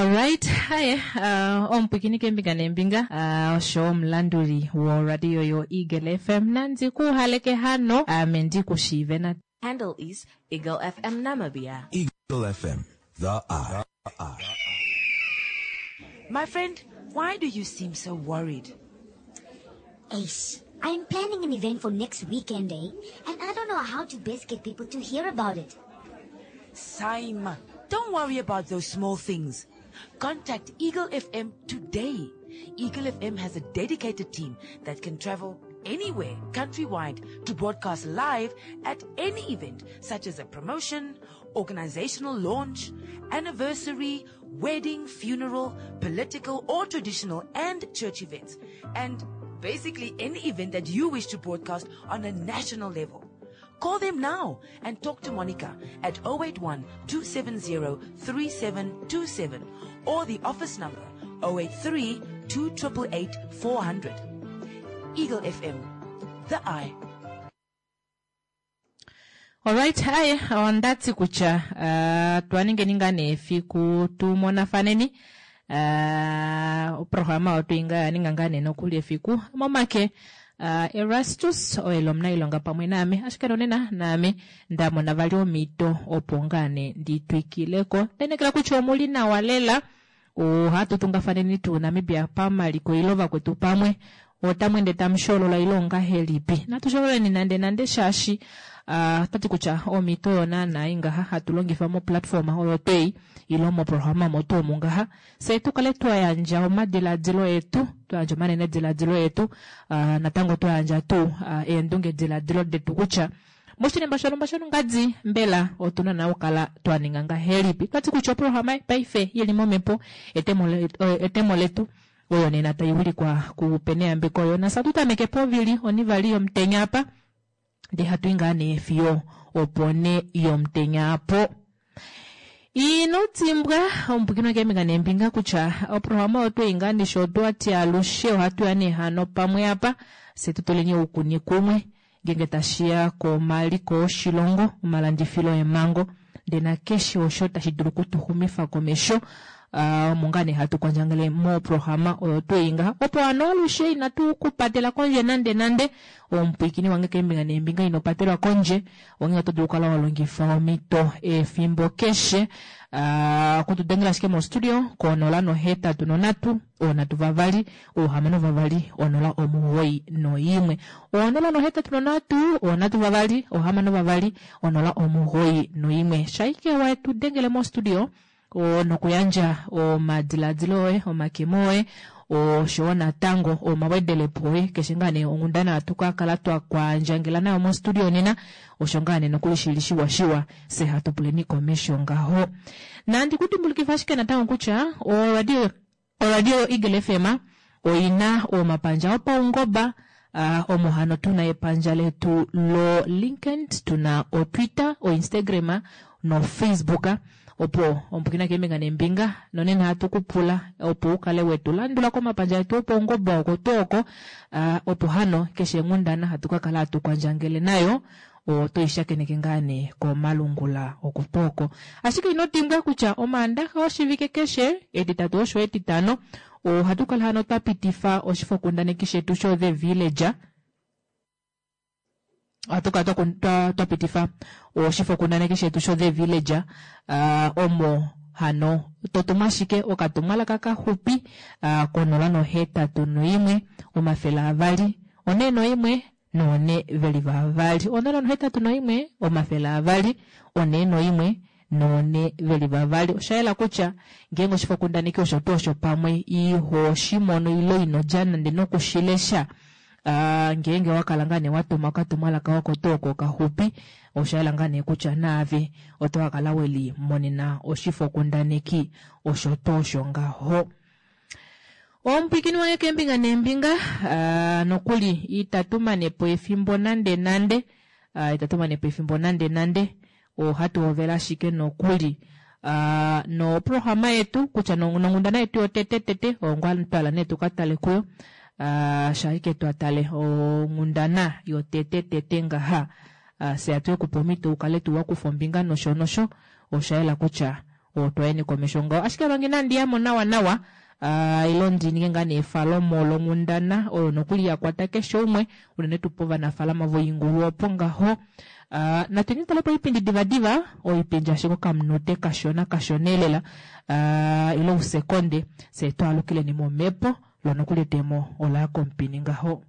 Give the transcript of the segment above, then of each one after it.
Alright, haye omupwikini keembinga neembinga osho omulanduli woradio yo Eagle FM nandi ku haleke hano ame ndi ku shiive na Handle is Eagle FM Namibia. Eagle FM, the eye. My friend, why do you seem so worried? Ace, I'm planning an event for next weekend, eh? And I don't know how to best get people to hear about it. Saima, don't worry about those small things. Contact Eagle FM today. Eagle FM has a dedicated team that can travel anywhere countrywide to broadcast live at any event such as a promotion, organizational launch, anniversary, wedding, funeral, political or traditional and church events, and basically any event that you wish to broadcast on a national level. Call them now and talk to Monica at 081 270 3727 or the office number 083 288 400. Eagle FM, the eye. Alright, haye onda ti kutya uh, twa ningeni ngaa nee efiku tu monafaneni uh, oprograma oyo twinga ya ninga ngaa nee nokuli efiku momake uh, Erastus oye li omunailonga pamwe naame ashike nonena naame nda mona vali omhito opo ngaa nee ndi twikileko ndenekela kutya omuli nawa lela Ohatu tungafaneni tuu Namibia pamaliko ile vakwetu pamwe otamu ende tamu sholola ile ongahelipi? Natu shololeni nande nande shaashi uh, otati kutya omhito oyo naana ingaha hatu longifa moplatform oyo twei ile moprograma mo tuu omu ngaha fye tu kale twa yandja omadiladilo etu, twa yandja omanenediladilo etu, uh, natango twa yandja tuu uh, eendungediladilo detu kutya Moshinima shonhumba shonongadi, mbela otu na naa okukala twa ninga ngahelipi? Otwa ti kutya oprograma paife i li momhepo, etemo letu, oyo nena tai wilikwa kuPeneyambeko Jonas. Ohatu tameke povili onivali yomutenya apa, ndee hatu i ngaa nee fiyo oponhe yomutenya apo. Ino dimbwa, omupwikinwa keembinga neembinga kutya oprograma oyo twei ngaa ndishi otwa ti alushe ohatu ya nee hano pamwe apa, fye tu tuleni oukuni kumwe Ngeenge tashi ya komaliko oshilongo, omalandifilo eemhango, ndee nakeshe osho tashi dulu okutuxumifa komesho, omo ngaa nee hatu kwandjangele moprograma oyo twei ngaha. Opo hano alushe inatu ku patela kondje nande nande, omupwiikini wange keembinga neembinga ino patelwa kondje, onghee oto dulu okukala wa longifa omhito efimbo keshe okutu dengela ashike mostudio ko 083 3 6 2 0 91. 083 3 6 2 0 91. Shaike wa tu dengele mostudio nokuyandja omadiladilo oye, omakemo oye oshowo natango omawedelepo oye keshe ngaa nee onghundana hatu ka kala twa kwandjangela nayo mostudio nena osho ngaa nee nokuli shili shiwa shiwa se hatu puleni komesho ngaho. Nandi ku dimbulukifa ashike natango kutya oradio Oradio yoEagle FM oi na omapandja opaungoba, omo hano tu na epandja letu loLinkedIn, tu na oTwitter, oInstagram noFacebook. Opo omupwiikina keembinga neembinga, nonena ohatu ku pula opo u kale we tu landula komapandja etu opaungoba oko tuu oko, opo hano keshe onghundana hatu ka kala hatu kwandjangele nayo Oto i shakeneke ngaa nee komalungula oko tuu oko. Ashike ino dimbwa kutya Omaandaxa oshivike keshe, Etitatu osho Etitano, ohatu kala hano twa pitifa oshifokundaneki shetu sho The Villager. Ohatu kala twa, twa pitifa oshifokundaneki shetu sho The Villager, uh, omo hano to tumu ashike okatumwalaka kaxupi uh, konola nohetatu noimwe 200 401 noone ve li vavali. 081 200 401 noone ve li vavali. Osha yela kutya ngeenge oshifokundaneki osho tuu osho pamwe iho shi mono ile ino dja nande noku shi lesha, ngeenge owa kala ngaa nee wa tuma okatumwalaka oko tuu oko okaxupi, osha yela ngaa nee kutya naave oto ka kala we limonena oshifokundaneki osho tuu osho ngaho. Omupwiikini wange keembinga neembinga, nokuli itatu mane po efimbo nande nande, itatu mane po efimbo nande nande, ohatu hovele ashike nokuli noprograma yetu kutya nonghundana yetu yotete tete oyo ngoo twa hala nee tu ka tale kuyo, shaike twa tale onghundana yotete tete ngaha, fye hatu ke kupa omhito u kale tuu wa kufa ombinga nosho nosho, osha yela kutya. Otwayeni komesho ngaho ashike manga inandi yamo nawa nawa uh, ilo ndi ninge ngaa nee efalomo longhundana oyo nokuli ya kwata keshe umwe unene tuu povanafaalama voingulu opo ngaho. Uh, natu tale po oipindi divadiva, oipindi ashike okamunute kashona kashona elela uh, ilo usekonde fye twaalukileni momhepo lo nokuli etemo ola ya komupini ngaho.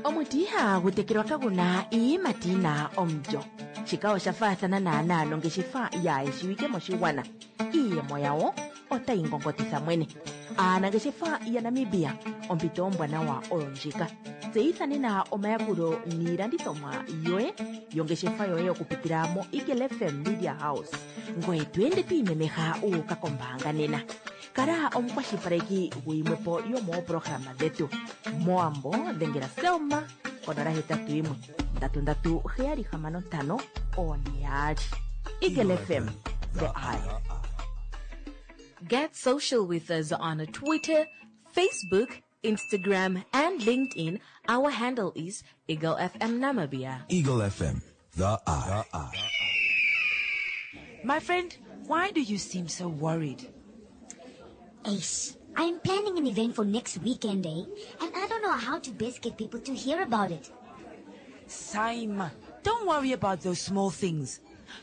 Omuti ihagu tekelwa kagu na iiyimati yi na omulyo. Shika osha faathana naanaa nongeshefa yaa shiwike moshigwana. Iiyemo yawo otayi ngongotitha mwene. Aanangeshefa yaNamibia, ompito ombwanawa oyo ndjika. Tseyitha nena omayakulo niilandithomwa yoye yongeshefa yoye okupitila moEagle FM Media House. Ngoye to ende to imemeha wu uka kombaanga nena. Kala omukwashilipaleki guyimwe po yomooprograma dhetu. Mowambo dhengela Selma konola hetatu yimwe ndatu ndatu heyali hamano ntano one yaali. Eagle FM, the eye. Get social with us on Twitter, Facebook, Instagram, and LinkedIn. Our handle is Eagle FM Namibia. Eagle FM, the eye. My friend, why do you seem so worried? Ace, I'm planning an event for next weekend, eh? And I don't know how to best get people to hear about it. Saima, don't worry about those small things.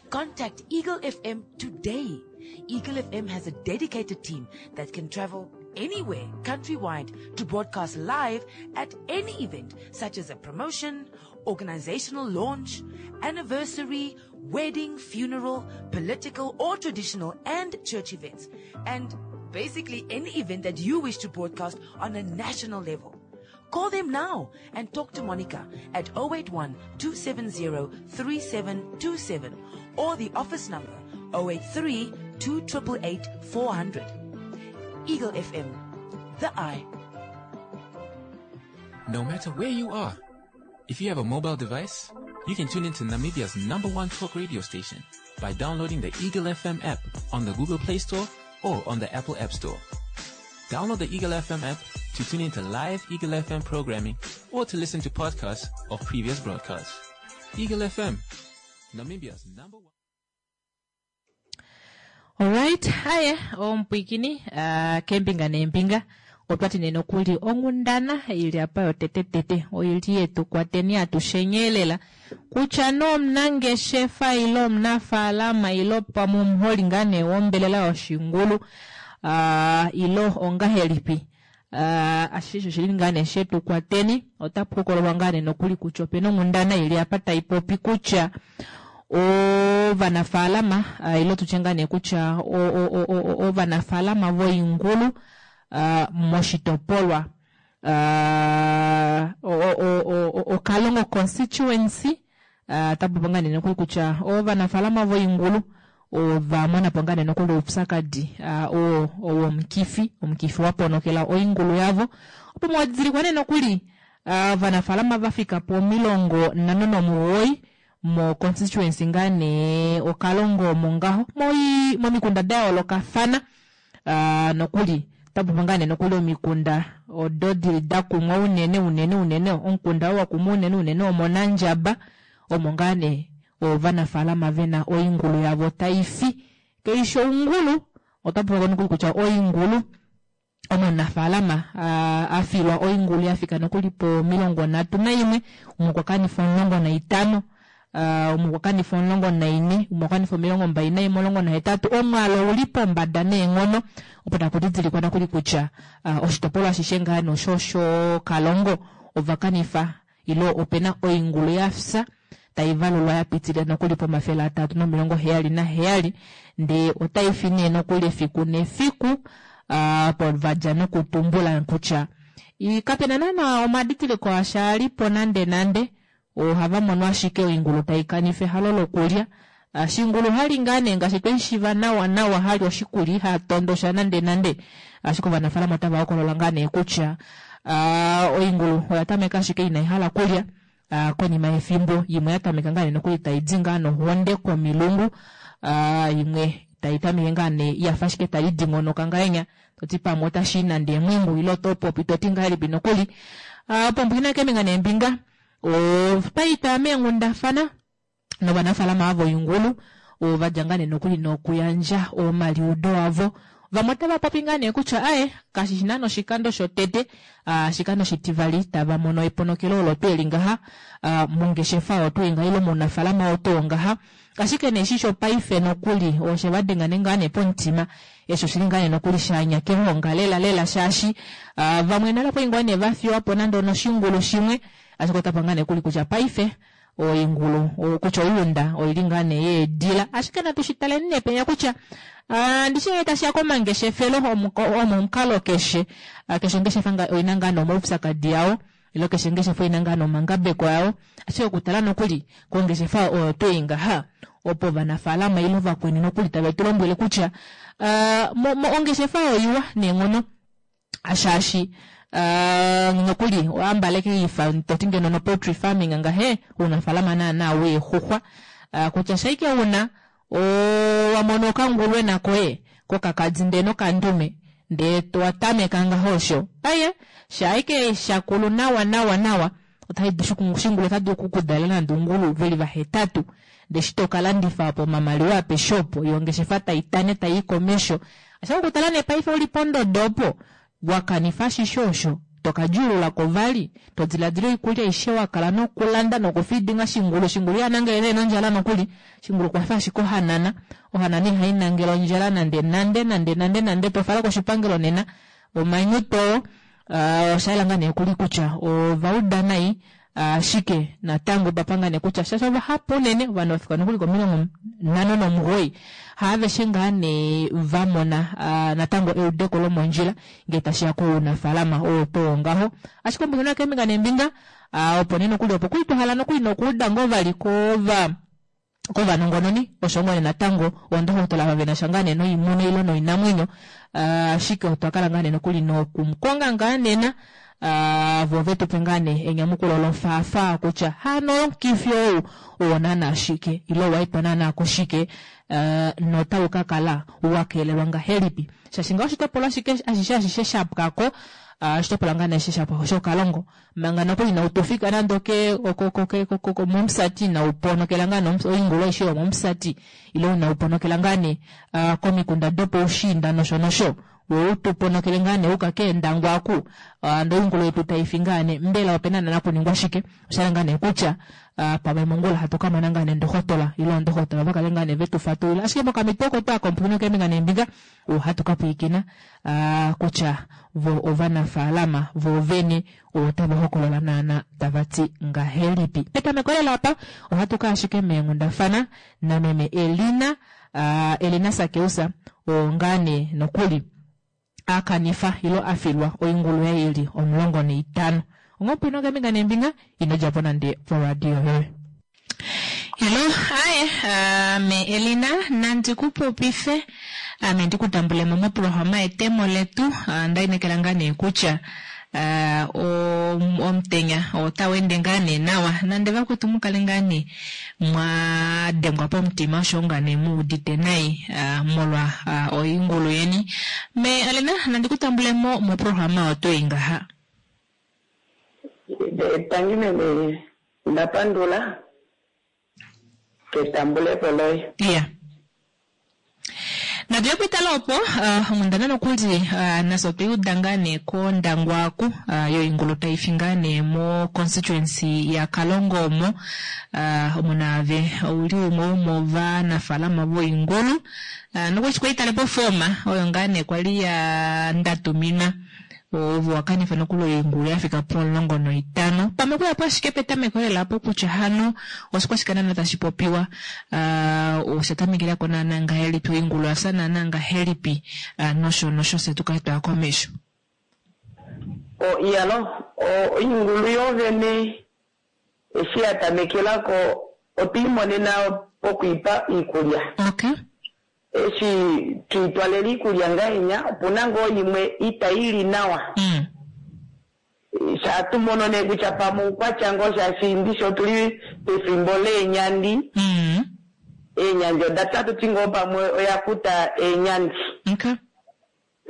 Contact Eagle FM today. Eagle FM has a dedicated team that can travel anywhere countrywide to broadcast live at any event, such as a promotion, organizational launch, anniversary, wedding, funeral, political or traditional and church events, and basically any event that you wish to broadcast on a national level. Call them now and talk to Monica at 081 270 3727 or the office number 083 288 400. Eagle FM, the eye. No matter where you are, if you have a mobile device, you can tune into Namibia's number one talk radio station by downloading the Eagle FM app on the Google Play Store or on the Apple App Store. Download the Eagle FM app to tune into live Eagle FM programming or to listen to podcasts of previous broadcasts. Eagle FM, Namibia's number one. Alright, haye omupwikini uh, kembinga neembinga otwati nee nokuli onghundana ili apa yotetetete oili yetu kwateni atushenyelela kutya nee omunangeshefa ile omunafaalama ile pamwe omuholi ngaa nee wombelela yoshingulu uh, ile ongahelipi uh, ashishe oshili ngaa nee shetu kwateni otapu hokololwa ngaa nee nokuli kutya opena onghundana ili apa tai popi kutya ovanafaalama uh, ile tutye ngaa nee kutya ovanafaalama voingulu uh, moshitopolwa uh, Okalongo constituency uh, tapopo ngaa nee nokuli kutya ovanafaalama voingulu ova mona po ngaa nee nokuli oupyakadi uh, womukifi omukifi wa ponokela oingulu yavo opo mwadidilikwa nee nokuli ovanafaalama uh, va fika po 59 mo constituency ngaa nee Okalongo omo ngaho momikunda da yoolokafana uh, nokuli tapopo ngaa nee nokuli omikunda odo dili da kumwa unene unene unene omukunda oo wakumwa unene unene omonandjaba omo ngaa nee ovanafaalama vena oingulu yavo taifi keisho ongulu otapopo nokuli kutya oingulu omunafaalama afilwa oingulu yafika nokuli po 31 umwe okwa kanifa 15 umwe okwa kanifa 14 umwe okwa kanifa 21 18 omwaalu ouli pombada neenghono opo taku didilikwa nokuli kutya oshitopolwa ashishe ngaa nosho Kalongo ova kanifa ile opena oingulu yafya tai valulwa ya pitilila nokuli pomafele atatu nomilongo 77 ndee otai fi nee nokuli efiku nefiku po vadja nokutumbula kutya kapena naana omadidiliko asha alipo nande nande ohava mono ashike oingulu tai kanifa ehalo lokulya shingulu hali ngaa nee ngaashi tweshiva nawa nawa hali oshikulya iha tondosha nande nande ashike ovanafaalama otava hokolola ngaa nee kutya oingulu oya tameka ashike ina ihala kulya konima yefimbo imwe ya tameka ngaa nee nokuli taidi ngaa nohonde komilungu imwe tai tameke ngaa nee yafa ashike tai dingonoka ngahenya toti pamwe otashi nande emwingu ile oto popi toti ngahelipi nokuli opo mbwina keembinga neembinga otwaita meenghundafana novanafaalama avo oingulu. Ova dja ngaa nee nokuli nokuyandja omaliudo avo. Vamwe otava popi ngaa nee kutya aye kashi shi naana oshikando shotete, oshikando oshitivali tava mono eponokelo olo tuu eli ngaha mongeshefa oyo tuu ngaha ile mounafaalama oo tuu ngaha. Ashike nee eshi shopaife nokuli oshe va denga nee ngaa nee pomutima. Eshi oshili ngaa nee nokuli sha nya kehonga lela lela shaashi vamwe nale okwali ngoo nee va fiwa po nande onoshingulu shimwe, ashike otapa ngaa nee kuli kutya paife oingulu kutya oiunda oili ngaa nee yeedila. Ashike natu shi taleni nee penya kutya ndishi ngee tashiya komangeshefelo omomukalo keshe, keshe ongeshefa oina ngaa nee omaupyakadi ao ile keshe ongeshefa oina ngaa nee omangabeko ao, ashike okutala nokuli kongeshefa oyo tuu ei ngaha opo ovanafaalama ile ovakweni nokuli tave tu lombwele kutya ongeshefa oiwa neenghono shaashi nokuli oambaleke ifa toti ngeno no poultry farming ngahe uunafaalama naana weexuxwa kutya shaike una Owa mono okangulwena koye kokakadi ndee nokandume, ndee towa tameka ngaho osho. Aye, sha ashike sha kulu nawa nawa nawa, otashi dulu shingulu ota dulu oku ku dalela nande oungulu ve li vahetatu. Ndee eshi to ka landifa po omamaliwa apeshe opo, yo ongeshefa tai tane tai i komesho. Ashike okutala nee paife u li pondodo opo, Wa kanifa ashishe osho, to ka djuulula ko vali, to diladila oikulya aishe wa kala nokulanda nokufidinga shingulu. Shingulu iha nangele nee nondjala nokuli. Shingulu okwa fa ashike ohanana. Ohanana ihai nangele ondjala nande nande nande nande nande. To fala koshipangelo nena omanyutu oo. Osha yela ngaa nee kuli kutya ova uda nai Ashike natango otwa panga nee kutya shaashi ovahapu unene, ovanhu va fika nokuli komilongo 59, haaveshe ngaa nee va mona natango eudeko lomondjila ngee tashi ya kounafaalama oo tuu wongaho. Ashike ombinga keembinga neembinga, opo nee nokuli opo kuli twa hala nokuli nokuuda ngoo vali kova. kovanongononi osho ngoo nee natango oondohotola ava vena sha ngaa nee noimuna ile noinamwenyo ashike otwa kala ngaa nee nokuli nokumukonga ngaa nena vo ve tupe ngaa nee enyamukulo lofaafaa kutya hano omukifi ou owo naana shike ile owa etwa naana koshike notau ka kala wa keelelwa ngahelipi shaashi ngaa oshitopolwa ashike ashishe ashishe sha pwako oshitopolwa ngaa nee ashishe sha pwako shOkalongo Manga nokuli inau tu fika nande oke, oko, ko, ke, ko, ko, ko, mOmusati, inau ponokela ngaa nee oingulu aishe yomOmusati, ile inau ponokela ngaa nee uh, komikunda dopoushiinda nosho nosho, wo u tu ponokele ngaa nee uka kEendangwa aku, uh, ndee oingulu yetu tai fi ngaa nee, mbela ope na naana kuningwa shike? Osha yela ngaa nee kutya uh, pamwe mongula hatu ka mona ngaa nee ndohotola ile oondohotola va kale ngaa nee ve tu fatulula. Ashike mokamhito oko twaa komupwikinwa keembinga neembinga, ohatu ka pwilikina kutya vo ovanafaalama vo vene otava hokolola naana tava ti ngahelipi. Petameko lela apa ohatu ka ashike meenghundafana nameme Elina, Elina Sakeus, oo ngaa nee nokuli a kanifa ilo a filwa oingulu yaye ili 15. Onghee opwino keembinga neembinga, ino dja po nande poradio yoye. Hello, aye, ame Elina, nandi ku popife, ame ndi ku tambule mo moprograma yetemo letu. Onda inekela ngaa nee kutya omutenya otau ende ngaa nee nawa, nande vakwetu mu kale ngaa nee mwa dengwa pomutima oshowo ngaa nee mu udite nai molwa oingulu yeni. Me Elina, nandi ku tambule mo moprograma oyo tuu ei ngaha. Tangi meme Nda pandula ketambulepo loye. Iya. Natu ye pwitala opo uh, onghundana nokuli uh, nafye otwe i uda ngaa nee kOndangwa aku uh, yoingulu tai fi ngaa nee mo constituency yaKalongo omo uh, omo naave ouli umwe womovanafaalama voingulu uh, nokuli eshi kwali tale pofooma oyo ngaa nee kwali ya ndatuminwa Ovo wa kanifa nokuli oingulu ya fika pomulongo noitano. Pamwe okuya po ashike petameko lela apo kutya hano oshikwashike naana tashi popiwa, osha tamekela ko naana ngahelipi, oingulu oya fya naana ngahelipi, nosho nosho fye tu kale twaya komesho. O, iyalo, oingulu yoovene eshi ya tamekela ko otwe i monena poku i pa iikulya. Okay. Eshi twe i twalela iikulya ngahenya, opu na ngoo imwe itayi li nawa. Sha tu mono nee kutya pamwe oukwatya ngoo shaashi ndishi otu li pefimbo leenyandi. Eenyandi oda pya tu ti ngoo pamwe oya kuta eenyandi. Okay.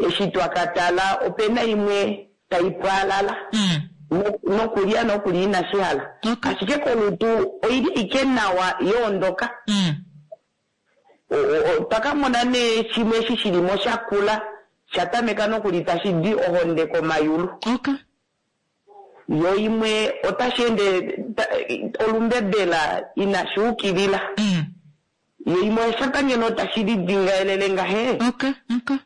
Eshi twa ka tala ope na imwe tai pwaalala nokulya nokuli inashi hala. Ashike kolutu oi li ashike nawa yoondoka. Otwa ka mona nee shimwe eshi shi li mo sha kula, sha tameka nokuli tashi di ohonde komayulu. Okay. Yo imwe otashi ende olumbebela inashi ukilila. Yo imwe osha ngeno tashi lidingaelele ngahe. Okay, okay.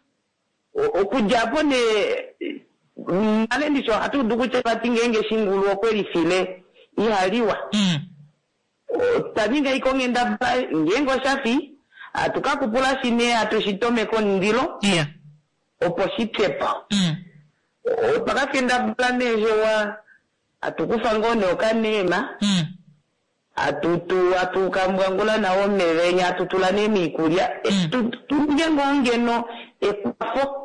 Okudja apo nee nale ndishi ohatu udu kutya vati ngeenge shingulu okwe lifile iha liwa. Otwa ninga ike onghendabala ngeenge osha fi hatu ka kupula shi nee hatu shi tomeke omundilo opo shi pye po. Otwa ka kendabala nee hewa hatu kufa ngoo nee okaneema hatu tu hatu kambwangula nawo omeva enya hatu tula nee miikulya tu ninge ngoo ngeno ekwafo.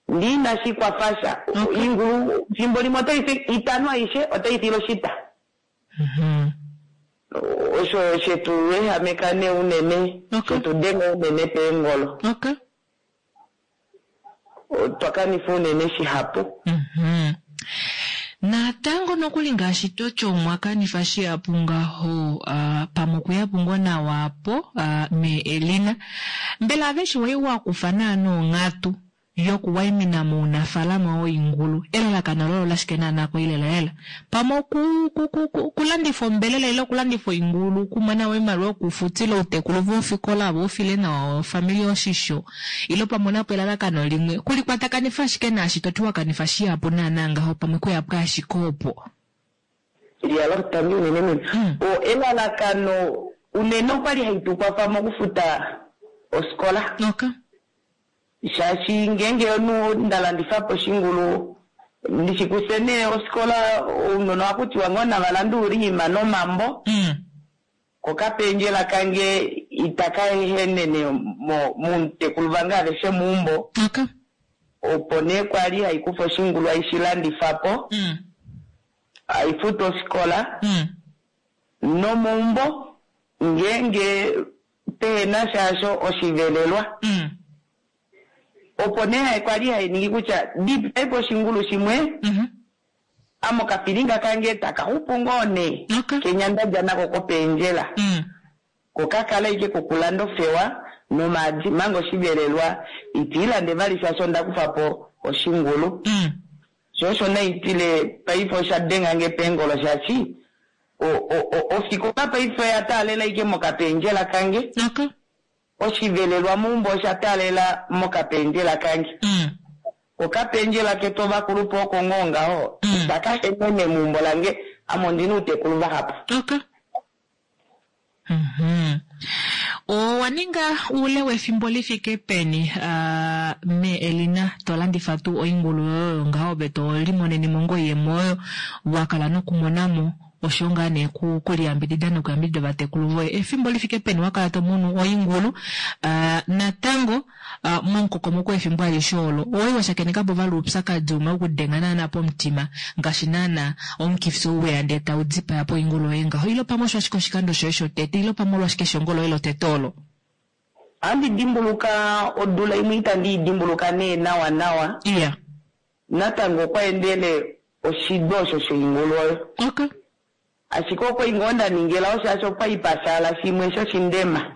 Ndee inashi kwafa sha. Oingulu fimbo limwe otai fi itano aishe otai file oshita. Osho shetu ehameka nee unene, shetu denga unene peengolo. Otwa kanifa unene shihapu. Natango nokuli ngaashi toti omwa kanifa shihapu ngaho, pamwe okuyapo ngoo nawa apo, mee Elina. Mbela aveshe wai wa kufa naana onghatu yokuwaimina mounafaalama woingulu? Elalakano loye olashike naana koilelalela? Pamwe okulandifa ombelela ile okulandifa oingulu okumona oimaliwa yokufutila outekulu vofikola vo ufile nawa ofamili oshisho, ile pamwe onapo elalakano limwe kulikwatakanifa ashike naashi toti wakanifa shihapu naana ngaho, pamwe kuyapo ashike opo. Yalo tangi unene meme. O elalakano unene okwali haitukwafa mokufuta ofikola. Okay. Shaashi ngeenge omunhu nda landifa po oshingulu ndishikuse nee ofikola ounona ohakutiwa ngoo nava lande oulima nomambo. Kokapendjela kange itaka ehenene momutekulu vange aveshe meumbo. Okay. Opo nee kwali haikufa oshingulu aishilandifa po. Aifutu ofikola. Nomeumbo ngeenge pehena shaasho oshivelelwa. Opo nee kwali hainingi kutya dipaipo oshingulu shimwe. Amo kafilinga kange taka xupu ngoo nee. Kenya ndadja nako kopendjela. Kokakala ike kokulanda ofewa nomaadi manga oshivelelwa itiilande vali shaashi onda kufa po oshingulu. Sho osho naitile paife osha denga nge peengolo shaashi ofikola paife oya taalela ike mokapendjela kange. Oshivelelwa meumbo osha taalela mokapendjela kange. Okapendjela ketu ovakulupe oko ngoo ngaho itaka henene meumbo lange ame ondina outekulu vahapu. Okay. Owa ninga oule wefimbo lifike peni me Elina to landifa tuu oingulu yoyo ngaho ove to limonene mo ngoo oiyemo oyo wa kala nokumona mo osho ngaa nee kuliyambidida nokuyambidida ovatekulu voye. Efimbo lifike peni wa kala to munu oingulu natango momukokomoko wefimbo alishe olo owali wa shakeneka po vali oupyakadi umwe wokudenga naana pomutima ngaashi naana omukifi ou weya ndee tau dipaya po oingulu yoye ngaho, ile pamwe osho ashike oshikando shoye shotete ile pamwe olwashike eshongo loye lotete olo? Ohandi dimbuluka odula imwe itandi i dimbuluka nee nawa nawa. Iya. Natango okwa endele oshido osho shoingulu oyo. Okay. Ashike okwa ngoo nda ningela osho okwa ipashala shimwe shoshindema.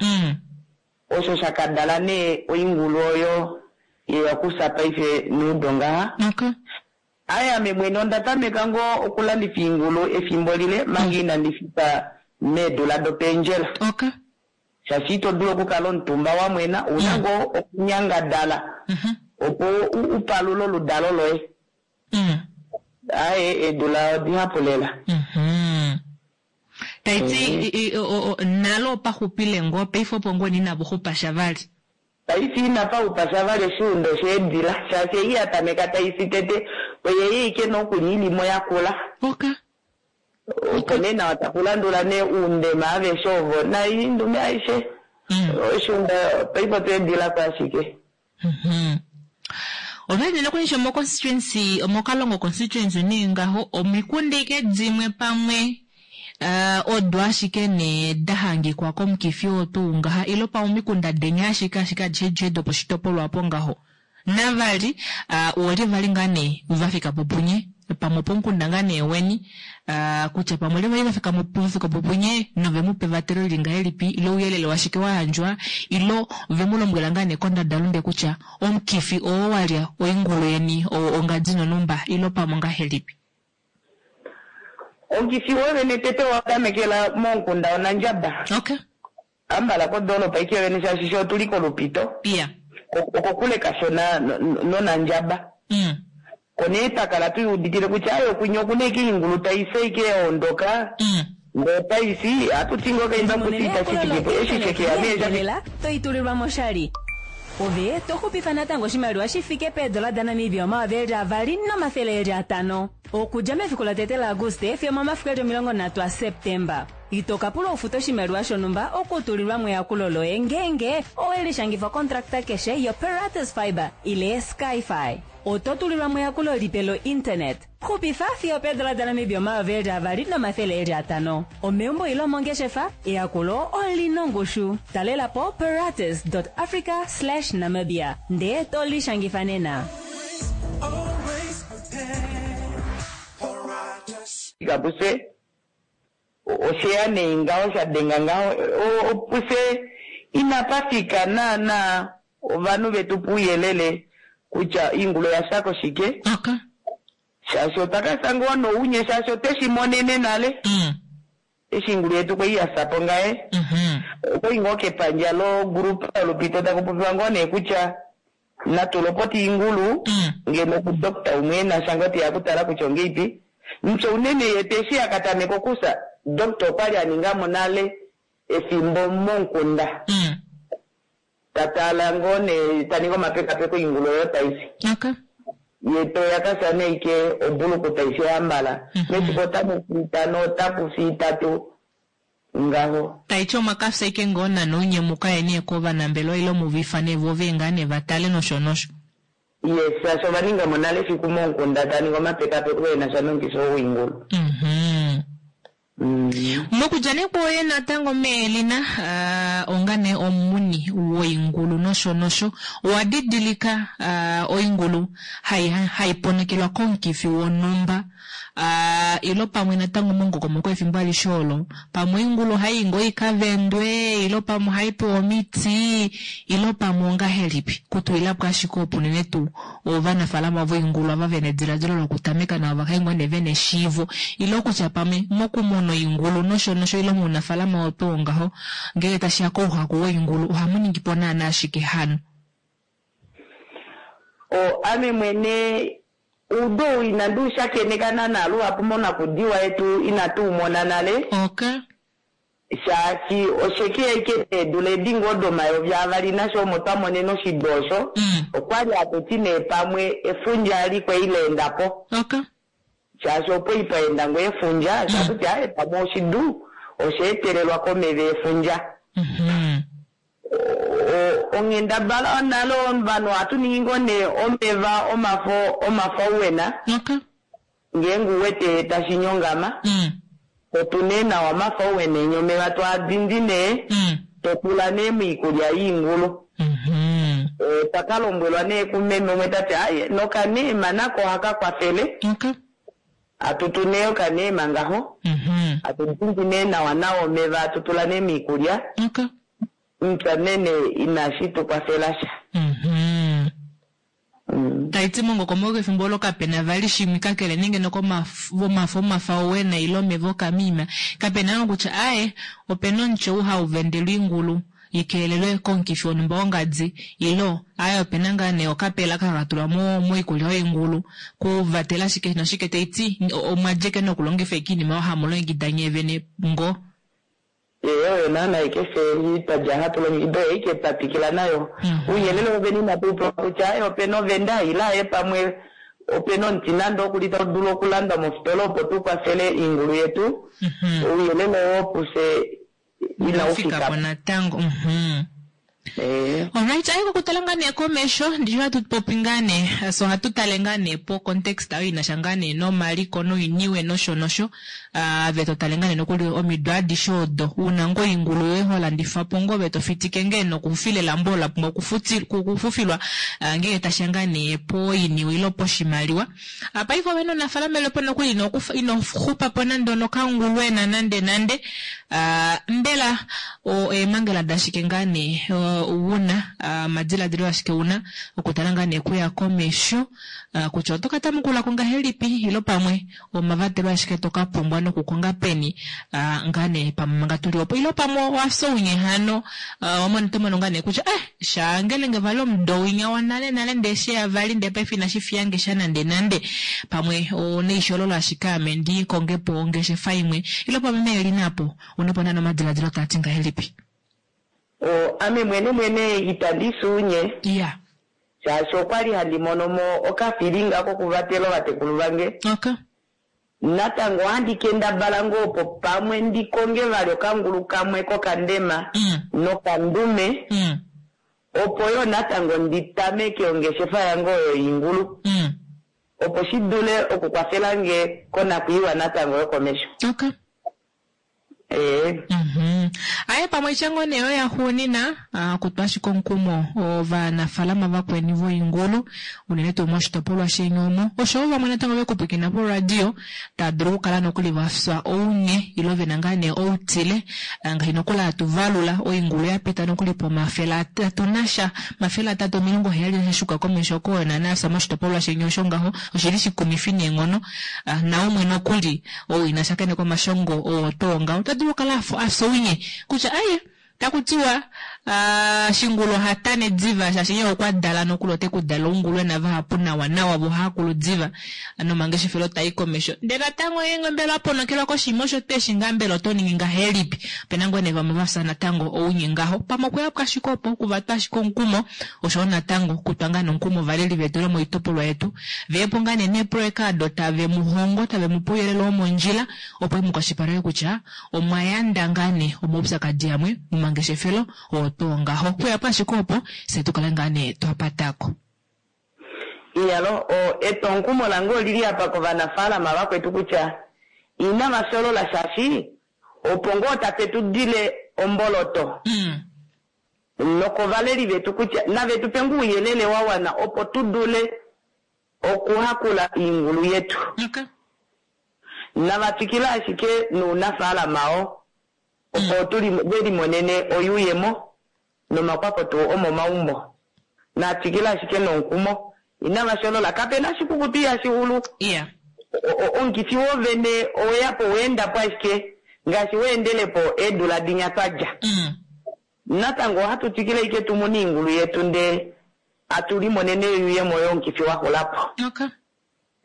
Osho sha kadala nee oingulu oyo yeya okusa paife nuudo ngaha. Okay. Aya ame mwene onda tameka ngoo okulandifa oingulu efimbo lile manga inandi fika meedula dopendjela. Okay. Shaashi ito dulu okukala omutumba wa mwena, una ngoo okunyangadala opo upalule oludalo loye. Aye eedula odihapu lela. Taiti nalo opaxupile ngoo paife opo ngoo nina xupa sha vali. Paife inapa xupa sha vali oshiundo sheedila shaashi ei ya tameka tai tete oyeye ike nokuli ilimo yakula. Okay. Opo nee nawa takulandula nee uundema aveshe ovo naindume aishe. Oshiunda paife otweedila ko ashike. Otwali nokuli omo constituency, omokalongo constituency nee ngaho omikunda ike dimwe pamwe odo ashike nee da hangikwa komukifi oo tuu ngaha ile pamwe omikunda denya ashike ashike adishe adishe doposhitopolwa opo ngaho. Navali oolye vali ngaa nee vafika po punye? pamwe opomukunda ngaa nee weni kutya pamwe olyelye vali va fika po punye nove mu pa evatelo lili ngahelipi ile ouyelele washike wa yandjwa ile ve mu lombwela ngaa nee kondadalunde kutya omukifi oo wa lya oingulu yeni oo ongadi nonhumba ile pamwe ongahelipi. Omukifi wovene tete owa tamekela momukunda Onandjaba. Okay. Ambala kodoolopa ike yovene shaashi fye otuli kOlupito. Yeah. Okokule kashona nOnandjaba. Ko nee twa kala tu uditile kutya aye okunya okuna ike oingulu tai fi ike ya ondoka. Ndee otai fi, ohatu ti ngoo kaimba kutya itashi fiki po. Eshi she ke ya nee sha Elela to i tulilwa mo oshali. Ove to xupifa natango oshimaliwa shi fike peedola daNamibia 2500. Okudja mefiku lotete laAguste fiyo omomafiku eli 30 aSeptemba. Ito ka pulwa u fute oshimaliwa shonhumba okutulilwa mo eyakulo loye ngeenge owe lishangifa okontrakta keshe yoPeratus Fibre ile SkyFi. Oto tulilwa mo eyakulo lipe lointernet. Xupifa fiyo opeedola daNamibia 2500. Omeumbo ile omongeshefa, eyakulo oli na ongushu. Talela po peratus.africa/namibia ndee to lishangifa nena. Fika pufye osheya nee ngaho sha denga ngaho pufye inapa fika naana ovanhu vetu pouyelele kutya oingulu oya fya koshike. Okay. Shaashi otwa ka fya ngoo nounye shaashi otwe shi monene nale. Eshi oingulu yetu kwali ya fya po ngaye. Okwali ngoo kepandja lo group yOlupito taku popiwa ngoo nee kutya natu lopote oingulu ngeno ku doctor umwe ena sha ngoo teya okutala kutya ongeipi. Mupya unene ye eshi a ka tameka okufya, doctor okwali a ninga mo nale efimbo momukunda. Ta tala ngoo nee ta ningi omapekapeko oingulu oyo tai fi. Okay. Ye toya ka fya nee ike obuluku tai fi ohambala. Mefiku otamu fi itano, otaku fi itatu ngaho. Tai ti omwa ka fya ike ngoo nani unye mu ka ye nee kovanambelewa ile mu va ifane vo ve ngaa nee va tale nosho nosho. Yes, shaashi ova ninga mo nale efiku momukunda tava ningi omapekapeko e na sha nomukifi oo woingulu. Mokudja nee kwoye natango meElina, onga nee omumuni woingulu nosho nosho, owa didilika oingulu hai hai ponokelwa komukifi wonhumba ilo pamwe natango momukokomoko wefimbo alishe olo, pamwe oingulu ohai i ngoo i ka vendwe ilo pamwe ohai pewa omiti ilo pamwe ongahelipi? Kutulila po ashike opo unene tuu ovanafaalama voingulu ava ve na ediladilo lokutameka navo va kale ngoo nee ve na eshiivo ile okutya pamwe mokumuna oingulu nosho nosho ile mounafaalama wetu wongaho ngenge tashi ya kouhaku woingulu ohamu ningi po naana ashike hano. O, ame mwene oudu ou inandi u shakeneka naana luhapu monakudiwa yetu inatu u mona nale. Okay. Shaashi osheke aike eedula edi ngoo domayovi avali nasho omo twa monene oshidu osho, okwali hatu ti nee pamwe efundja ali kwali la enda po. Okay. Shaashi opo ipa enda ngoo efundja, osho hatu ti aaye pamwe oshidu osha etelelwa komeva efundja. Onghendabala nale ovanhu ohatu ningi ngoo nee omeva omafo omafauwena. Okay. Ngeenge u wete tashi nyongama, to tu nee nawa omafauwena enya omeva to a dindi nee, to tula nee moikulya yoingulu. Otwa ka lombwelwa nee kumeme umwe ta ti, Aye, nokaneema nako ohaka kwafele. Hatu tu nee okaneema ngaho, hatu dindi nee nawa nawa omeva, hatu tula nee moikulya. Mupya nene inashi tu kwafela sha. Tai ti mongokomoko efimbo olo kape na vali shimwe kakele nenge nokomafo omafauwena ile omeva okamiima. Kape na kutya aye, ope na omuti ou hau vendelwa oingulu i keelelwe komukifi wonhumba wongadi ile aye ope na ngaa nee okapela aka haka tulwa moikulya yoingulu ku vatela shike noshike. Tai ti omwa djeke nokulongifa ashike oinima oyo hamu longekida nyee vene ngoo. Ee, oyo naana aike fye twa dja hatu longekida oyo aike twa twikila nayo. Ouyelele wovene inatu u pewa kutya aye ope na ovenda ile aye pamwe ope na omuti nande oku li tau dulu okulandwa mofitola opo tu kwafele oingulu yetu. Ouyelele oo pufye inau fika po natango. Eh. Alright, aye kokutala ngaa nee komesho ndishi hatu popi ngaa nee so ohatu tale ngaa nee po context oyo inasha ngaa nee nomaliko noiniwe nosho nosho ave to tale ngaa nee nokuli omido adishe odo una ngoo oingulu yoye ho landifa po ngoo ove to fitike ngee nokufila elambo olo la pumbwa okufufilwa ngeenge tasha ngaa nee poiniwe ile poshimaliwa. Paife ove nounafaalama lepo nokuli ino xupa po nande onokangulwena nande nande. Mbela eemhangela dashike ngaa nee una, omadiladilo ashike una okutala ngaa nee kuya komesho kutya oto ka tamukula ko ngahelipi ile pamwe omavatelo ashike to ka pumbwa nokukonga peni ngaa nee pamwe manga tuli opo ile pamwe owa fya ounye hano oto mono ngaa nee kutya eh shaangelenge vali omudo winya wanale nale ndee sheya vali ndee paife inashi fiyange sha nande nande pamwe oneishololo ashike ame ndi konge po ongeshefa imwe ile pamwe meeli napo una po nana omadiladilo taa ti ngahelipi? Ame mwene mwene itandi suunye. Iya. Shaashi okwali handi mono mo okafilinga kokuvatela ovatekulu vange. Okay. Natango ohandi kendabala ngoo opo pamwe ndi konge vali okangulu kamwe kokandema nokandume opo yo natango ndi tameke ongeshefa yange oyo yoingulu opo shi dule okukwafela nge konakwiiwa natango yokomesho. Okay. Ee. Aye pamwe tya ngoo nee oyo yaxuunina, okutwa ashike omukumo ovanafaalama vakweni voingulu unene tuu moshitopolwa sheni omo oshowo vamwe natango vekupwikina poradio tava dulu okukala nokuli vafya ounye ile vena ngaa nee outile ngaashi nokuli hatu valula oingulu ya pita nokuli pomafele atatu nasha 370 nasha shuka komesho oko naana yafya moshitopolwa sheni osho ngaho oshili shikumifi neenghono naumwe nokuli ou ina shakeneka omashongo oo too ngaho ota dulu okukala afya ounye kutya aye taku tiwa shingulu oha tane diva shaashi ye okwa dala nokuli ote ku dala oungulwena vahapu nawa nawa vo ohava diva nomangeshefelo tai komesho ndele natango ye mbela wa ponokelwa koshinima osho tweshi ngaa mbela oto ningi ngahelipi opena ngoo nee vamwe vafya natango ounye ngaho pamwe okuya ashike opo okuvatwa ashike omukumo oshowo natango okutwa ngaa nomukumo ovaleli vetu lomoitopolwa yetu veyepo ngaa nee neeproyeka ado tave mu hongo tave mu pe ouyelele womondjila opo mukwashilipaleke kutya omwa yanda ngaa nee omaupyakadi amwe momangeshefelo oo tuu ngaho kuyapo ashike opo fye tukale ngaa nee twapatako. Iyalo, etwomukumo lange olili apa kovanafaalama vakwetu kutya inava sholola shaashi opo ngoo tape tu dile omboloto. Nokovaleli vetu kutya nave tu pe ngoo ouyelele wa wana opo tu dule okuhakula oingulu yetu. Okay. Nava twikile ashike nounafaalama oo opo ve limonene oyuuyemo nomakwafo tuu omomaumbo. Na twikile ashike nomukumo inava sholola kapena oshikukutu ihashi xulu. Yeah. Omukifi wovene oweyapo weendapo ashike ngaashi weendelepo eedula dinya twadja. Natango ohatu twikile ashike tu mune oingulu yetu ndee atu limonene oyuuyemo yomukifi wa xulapo. Okay.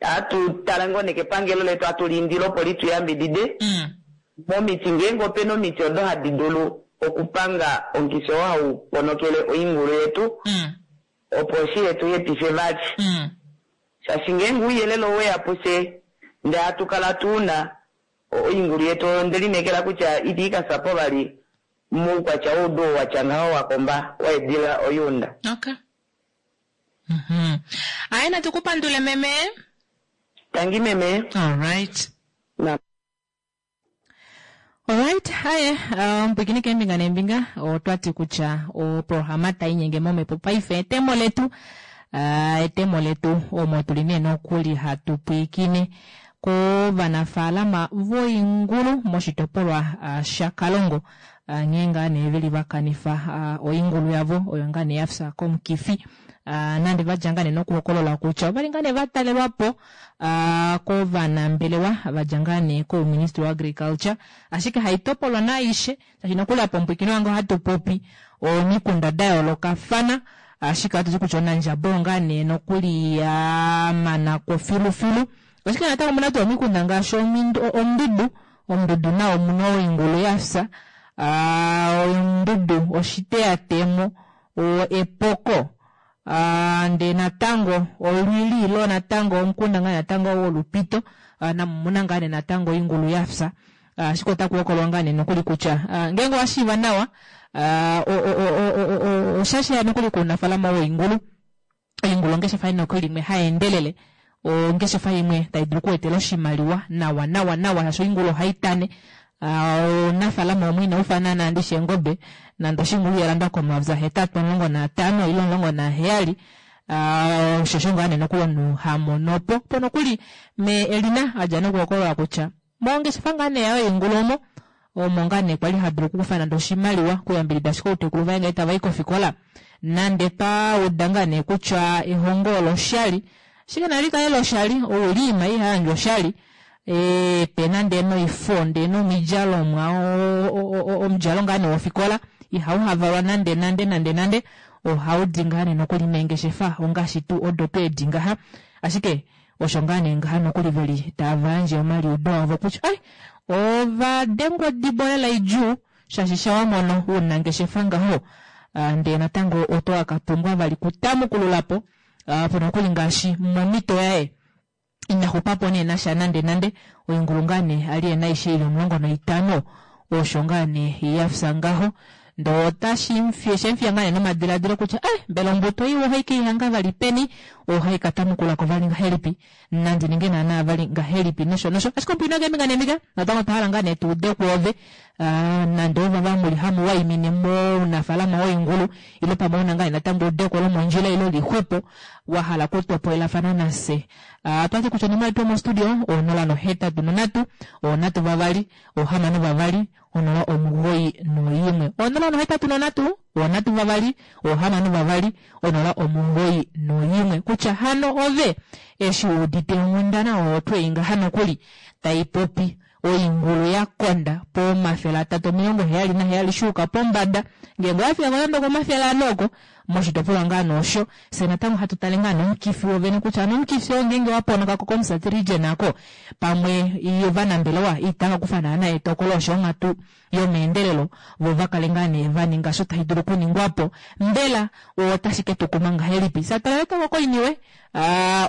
Atu tala ngoo nekepangelo letu atu liindile opo li tu yambidide momiti ngeenge opena omiti odo hadi dulu okupanga omukifi oo hau ponokele oingulu yetu opo shi yetu hepife vali. Shaashi ngeenge ouyelele oweya pufye ndee hatu kala tu una oingulu yetu oyo nde lineekela kutya ita i ka fya po vali moukwatya woudu oo watya ngaho wa komba wa edila oyuunda. Okay. Aye natu kupandule meme. Tangi meme. All right. Na. Alright, haye omupwikini keembinga neembinga otwati kutya oprograma tainyenge momhepo paife etemo letu etemo letu omo tuli nee nokuli hatu pwiikine kovanafaalama voingulu moshitopolwa shaKalongo nghee ngaa nee veli vakanifa oingulu yavo oyo ngaa nee yafya komukifi nande vadja ngaa nee nokuhokolola kutya ovali ngaa nee vatalelwapo kovanambelewa vadja ngaa nee kouministry wa agriculture ashike haitopolwa naaishe shaashi nokuli apa omupwikini wange ohatu popi omikunda da yoolokafana ashike ohatu ti kutya Onandjaba ngaa nee nokuli yamanako filufilu ashike natango omuna tuu omikunda ngaashi Ondudu Ondudu nayo omuna oingulu yafya Ondudu oshiteyatemo Epoko ndee natango olwili ilo natango omukunda ngaa natango wolupito namo omuna ngaa nee natango oingulu yafya ashike otaku hokololwa ngaa nee nokuli kutya ngeenge owashiiva nawa. Osha sheya nokuli kuunafalama woingulu. Oingulu ongeshefa nokuli imwe hai endelele, ongeshefa imwe tai dulu okuetela oshimaliwa nawa nawa nawa, shaashi oingulu ohai tane. Ounafalama umwe inau fa naana ndishi eengobe, nande oshingulu ihalandwa komayovi ahetatu 15 ile 17, osho ngaa nee nokuli omunhu hamono po. Po nokuli me Elina adja nokuhokolola kutya mongeshefa ngaa nee yayo yoingulu omo omo ngaa nee kwali hadulu okukufa nande oshimaliwa kuyambidida ashike outekulu vaye ngee tava i kofikola, nande twauda ngaa nee kutya ehongo olo oshali, ashike nali kale loshali oulima ihayandjwa oshali, pe nande noifo ndee nomidjalomwa, omudjalo ngaa nee wofikola ihau havalwa nande nande nande nande, ohaudi ngaa nee nokuli meengeshefa ongaashi tuu odo tweedi ngaha. Ashike osho ngaa nee ngaha nokuli veli tava yandje omaliudo avo kutya ai ova dengwa odibo lela idjuu, shaashi shawamono ounangeshefa ngaho, ndee natango oto ka pumbwa vali kutamukululapo po nokuli ngaashi momito yaye inaxupapo nee nasha nande nande. Oingulu ngaa nee ali ena aishe ili 15 osho ngaa nee yafya ngaho, ndoo otashi shemfiya ngaa nee nomadiladilo kutya mbela ombuto iwa ohai keihanga vali peni, ohai katamukulako vali ngahelipi, nandi ninge naana vali ngahelipi, nosho nosho. Ashike ompwino keembinga neembinga natango otwa hala ngaa nee tuude kwoove, nande ovava muli hamu waimine mounafalama woingulu, ile pamwe una ngaa natango eudeko lomondjila ile lixwepo wa hala kutopolelafana nafye. Twati kutya onomola yetu yomostudio 083 326 62 091, 083 326 62 091, kutya hano ove eshi udite onghundana oyo tweingaha nokuli taipopi oingulu yakonda po 377 shuuka pombada, ngeenge oyafika nande 400 oko moshitopolwa ngaa noosho, fye natango hatu tale ngaa nomukifi wovene kutya nomukifi oo ngeenge waponokako komusati region ako pamwe ovanambelewa itava kufa naana etokolo osho onghatu yomeendelelo vo vakale ngaa nee vaninga osho tashi dulu okuningwapo, mbela otashi ketukuma ngahelipi? Satala natango koiniwe,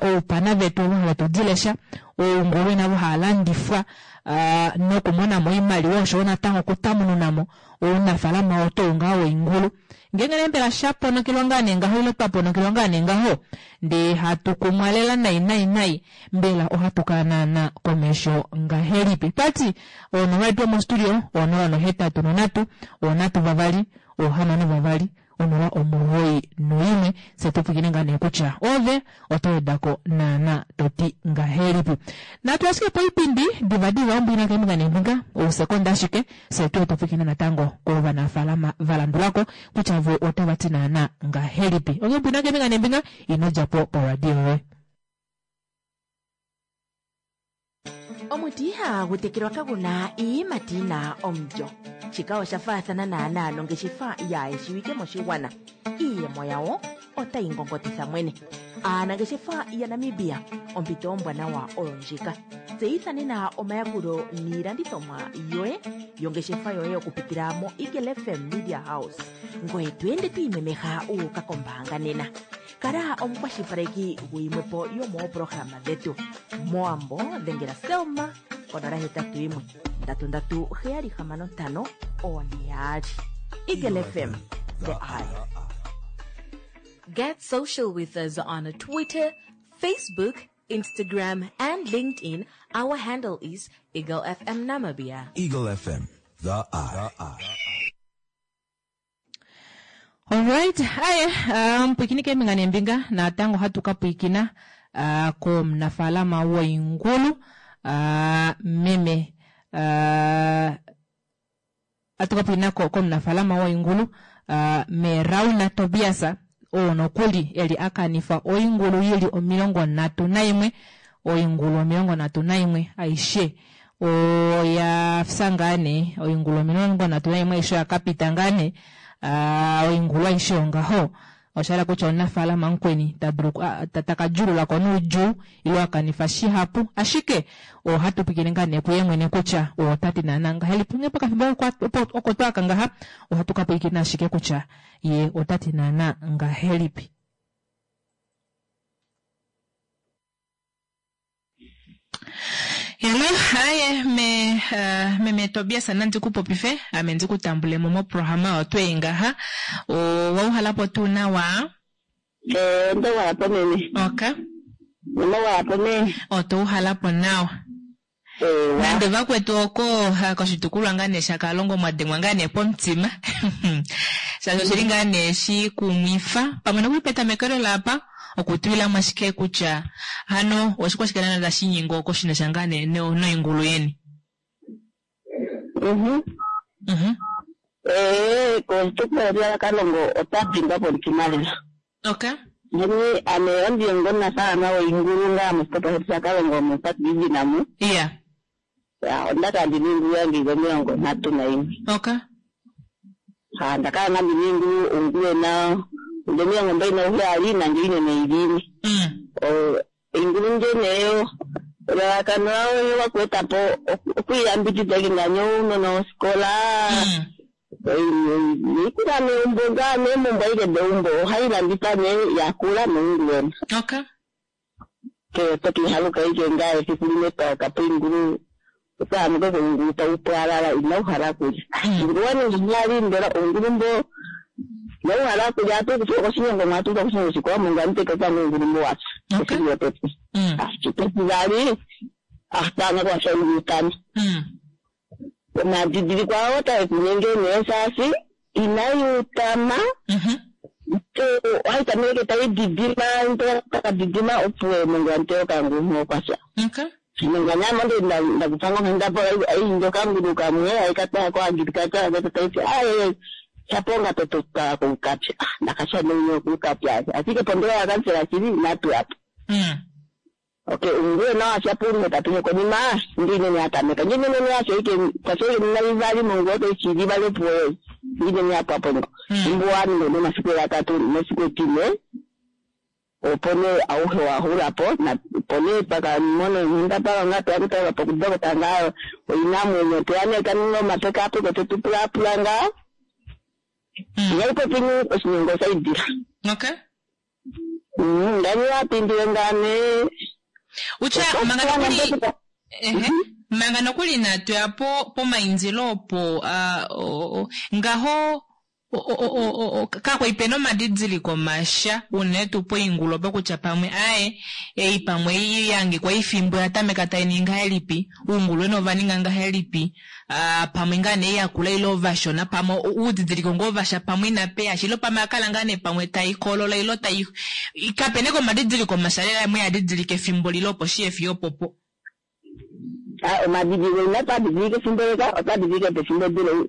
oupana vetu ovo have tudilesha, oungulu navo haalandifwa nokumonamo oimaliwa oshoyo natango okutamununamo ounafalama oto ngaa woingulu. Ngeenge nee mbela shaponokelwa ngaa nee ngaho ile twaponokelwa ngaa nee ngaho ndee hatu kumwa lela nai nai nai, mbela ohatu kala naana komesho ngahelipi? Twati onomola yetu yomostudio 083 326 62 091, fye tupwikine ngaa nee kutya ove oto wedako naana toti ngahelipi. Natu ashike poipindi divadiva ombwina keembinga neembinga ousekonda ashike, fye tuye tupwikine natango kovanafalama valandulako kutya vo otava ti naana ngahelipi. Onghee mbwina keembinga neembinga inodjapo poradio yoye. Omuti ihagu tekelwa kaguna iiyimati yina omulyo. Shika osha faathana naanaa nongeshefa yaayeshiwike moshigwana. Iiyemo yawo otayi ngongotitha mwene. Aanangeshefa yaNamibia, ompito ombwanawa oyo ndjika. Tseyitha nena omayakulo niilandithomwa yoye yongeshefa yoye okupitila mo Eagle FM Media House. Ngoye to ende to imemeha wu uka kombaanga nena. Kala omukwashilipaleki guyimwepo yomoopolohalama dhetu. Mowambo dhengela Selma konola hetatu yimwe ndatu ndatu heyali hamano ntano one yaali. Eagle FM, the eye. Get social with us on Twitter, Facebook, Instagram, and LinkedIn. Our handle is Eagle FM Namibia. Eagle FM, the eye. Alright, aye, mpwikini keembinga neembinga natango hatu ka pwikina komunafalama woingulu, meme hatu ka pwikina komunafalama woingulu, Merauna Tobias, oo nokuli eli akanifa oingulu ili 31, oingulu 31 aishe oyafya ngaa nee, oingulu 31 aishe oyakapita ngaa nee, oingulu aishe ongaho. Oshahala kutya omunafaalama mukweni takadjululako noudjuu ile akanifa shihapu, ashike ohatu pwikine ngaa nee kuye mwene kutya otati naana ngahelipi. Onghee pokafimbo oko twaka ngaha ohatu ka pwilikina ashike kutya ye otati naana ngahelipi. Hello, haye me meme Tobias nandi ku popife ame ndi ku tambule mo moprograma oyo twei ngaha. Owauhalapo tuu nawa? Ondauhalapo meme. Okay. Omauhalapo me. Otouhalapo nawa. Nande vakwetu oko koshitukulwa ngaa nee shaKalongo mwa dengwa ngaa nee pomutima. Shaashi oshili ngaa nee shikumwifa pamwe nokuli petamekelo laapa okutwilamo ashike kutya hano oshikwashike naana tashi nyenge oko shinasha ngaa nee noingulu yeni. Koshitukulwa shaKalongo ota dengwa pomutima lela. Okay. Nani ame ondi omunafaalama woingulu ngaa moshitopolwa shetu shaKalongo moPatbibin amu. Yeah. Ya, onda kala ndina oingulu yange ili 31. Okay. Ha, ndakala ngaa ndina oingulu ongulwena ili 27 nande inene ili ine. Oingulu ndje elalakano layo wakueta po okuyambidida nganyo ounona wofikola. Iikula meumbo ngaa meemumbo aike deumbo ohai landitha nee yakula noingulwena. Okay. Ke tokihaluka ike ngaa efiku limwe twakapo oingulu otwaamuka koingulu taupwalala inauhala kulya. Ingulu waningi nyali mbela ongulu mbo inauhala kulya atukufa koshinyongo mwatuka koshinyongo shikwawo mungu amuteka kwangu ingulu mbo wapya. Okay. Efiku lotete. Chitesivali ahtana kwasha ingulu tano. Omadidiliko awo taekunyenge nee shaashi inaiutama ohai tameke taididima takadidima opo mungu amuteka kangulu okwasha. Okay. Nganyama ndo ndakupanga ngenda ai okangulu kamwe aikataya ko agriculture ngata taiti ai chaponga totoka kukapya ndakasha nenyo kukapya ashike pondera yakansela chili natu apo. Okay, ungue na achapunge tatunye konima ndine ni atameka ndine ni acho ike tasho ni nalivali mungu ote chili bale poe ndine ni apo apo mbuani ndo masiku ya tatu masiku tine opone auhe wahulapo na pone paka mono nyinda paka ngato akutoka pokudoko tanga oinamwenyo tuyane kanino mapeka apo kotetupulapula nga yaipo pini oshinyongo saidira. Okay. Ndani wapindile ngane Ucha manga nokuli manga nokuli natwe apo pomainzilo opo ngaho kakwa ipena omadidiliko masha unene tuu poingulu opo kutya pamwe aye ei pamwe yangikwa ifimbo yatameka tai ngahelipi uungulwena ova ninga ngahelipi pamwe ngaa nee yakula ile ovashona pamwe uudidiliko ngoo vasha pamwe inapeya ilo pamwe akala ngaa nee pamwe taikolola ilo tai kapena omadidiliko masha lela mwe yadidilika efimbo lile opo shiyefi opopo. Omadidiliko inatwadidilika efimbo leka otwadidilike pefimbo dilo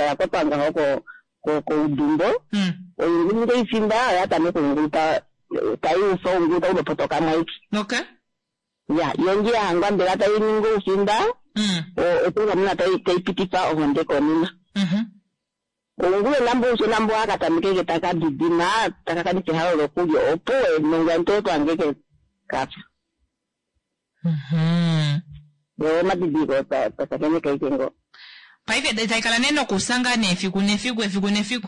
yakwatwa ngaho koudumbo. Oingulu nge ifimba yatameka oingulu taiufa oungulu taulopotoka mwaiki. Okay. Ya, yongi yahangwa mbela taininga oufimba otungamuna taipitifa ohonde konima. Oungulu nambo ushona mbo akatameke takadidima takakanifa ehalo lokulya opo nongwa ntoto angeke kapya. Omadidiliko tasakeneka ike ngo. Paife taikala nee nokusanga nee efiku nefiku efiku nefiku.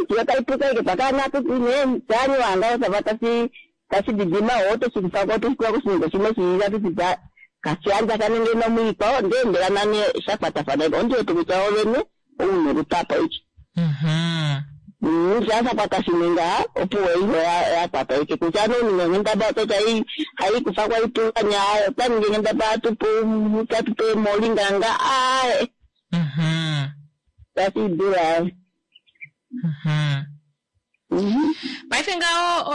Kiyo taipuka ike pakana tutine tani wanga osava tasi didima oto shikufako oto shikuwa koshinyongo shimwe shiila tutita kashiandja kanenge nomwiikwawo ndee mbela nane shakwatafana ondiwete kutya ovene oune lutapo iki. Shashakwata shimwe opo iho yakwata ike kutya noninga nghendaba ototi haikufa kwaitulanya otaninge nghendaba tatupe molinganga ae tashidula. Paife ngaho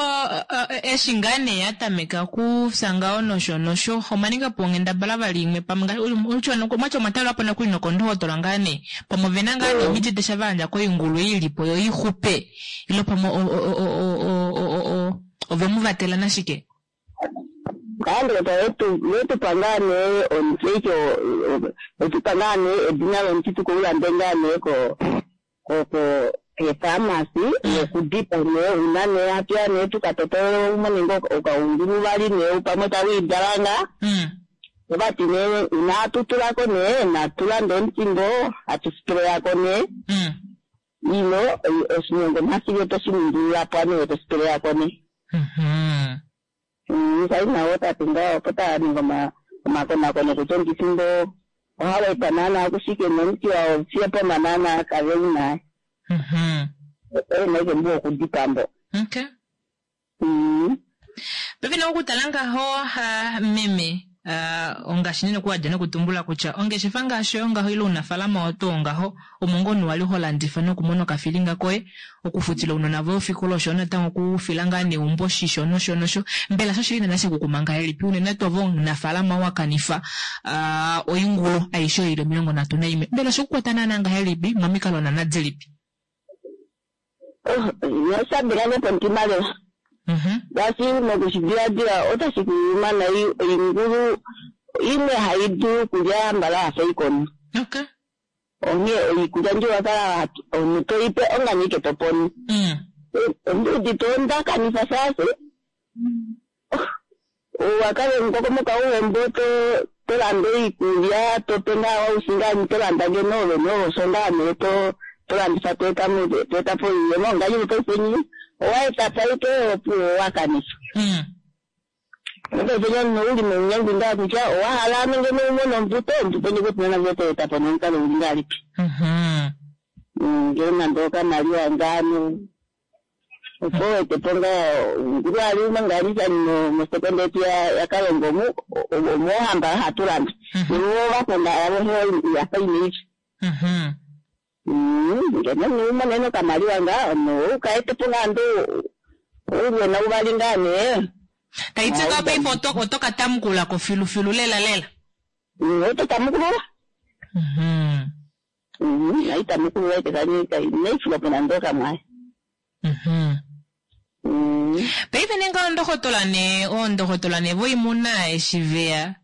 eshi ngaa nee yatameka kufya ngaho nosho nosho omwaninga po onghendabala vali imwe pamwe mwatya omwatalelwapo nokuli nokondohotola ngaa nee pamwe ovena ngaa nee omiti desha vayandja koingulu ilipo yo ixupe ilo pamwe ovemuvatela nashike. Ndokotola yetupa ngaa nee omuti etupa ngaa nee edina lomuti tukoulande ngaa nee ko efarmasi yokudipa nee una nee hatuya nee tukatotola umone ngo okaungulu vali nee pamwe tawidala nga ovati nee una atutulako nee natulande omuti ngo hatusipeleyako nee ilo oshinyongo mhasivye toshiningilulapo ane tosipeleyako nee. Sai nawo tati nga opo taninga Omakonakono kutya omukifi mbo ohau etwa naana kushike nomuti wao fiyo poma naana kave u na. Ouna ashike mbu wokudipaa mbo. Okay. Paife nee okutala ngaho meme ongaashi nene okuwadja nokutumbula kutya ongeshefa ngaashi oyo ngaho ile ounafalama oo tuu ngaho omo ngoo omunhu wali ho landifa nokumona okafilinga koye okufutila ounona voye ofikola osho yo natango okufila ngaa neumbo oshisho nosho nosho. Mbela shoshili naana shekukuma ngahelipi unene tuu ove omunafalama wa kanifa oingulu aishe oyo ili 31 mbela oshekukwata naana ngahelipi momikalo naana dilipi? Oh, osha denga nge pomutima lela. Ngaashi mokushidiladila otashi ku yuma nai oingulu imwe hai dulu okulya mbala ya fa oikono. Okay. Onghee oikulya ndjo wa kala omunhu to i pe ongane ike to pono. Ondi udite onda kanifa shaashi owa kala omukokomoko auhe mbo to to landa oikulya to pe ngaa waushi ngaa to landa ngeno ove nosho ngaa nee to to landifa to eta mo to eta po oiyemo ngaashi paife nyi owa eta po aike opuwo wa kanifa. Paife omunhu ou li mounyengwi ngaa kutya owa hala nenge umone ombuto, ombuto ndjo kutya nande oto eta po nomukalo uli ngahelipi. Ngee nande okamaliwa ngaa opo wete po ngaa ngulu ali umwe ngaa mosekonda yetu yaKalongo omu omo hamba hatu landa. Novo vakonda avo yafa inaifi. Ngeno umonene okamaliwa ngaa omunhu ou ka ete po ngaa ando oulwena uvali ngaa nee. Taiti ngaa paife oto ka tamukula ko filufilu lela lela. Oto tamukulula. Naitamukulula ite naifula po nande okamwaye. Paife nee ngaho ndohotola nee oondohotola nee voimuna eshi veya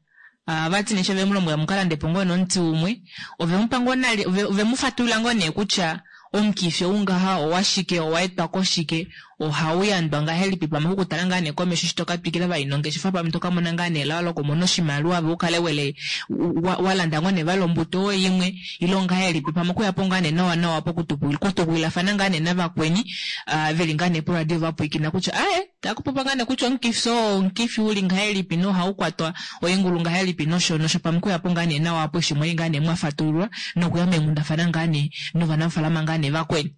vati nee sho vemulombwela mukalande po ngoo nomuti umwe ovemupa ngoo nale ovemufatulula ngoo nee kutya omukifi ou ngaha owashike owa etwa koshike ohau yandwa ngahelipi pamwe okutala ngaa nee komesho eshi toka twikila vali nongeshefa pamwe toka mona ngaa nee elao lokumona oshimaliwa ove ukale wele wa landa ngoo nee vali ombuto imwe ile ongahelipi pamwe okuya po ngaa nee nawa nawa pokutukulilafana ngaa nee navakweni veli ngaa nee poradio vapwiikina kutya aye takupopa ngaa nee kutya omukifi oo omukifi uli ngahelipi nohau kwatwa oingulu ngahelipi nosho nosho pamwe okuya po ngaa nee nawa apo eshi mwali ngaa nee mwafatululwa nokuya meenghundafana ngaa nee novanafalama ngaa nee vakweni.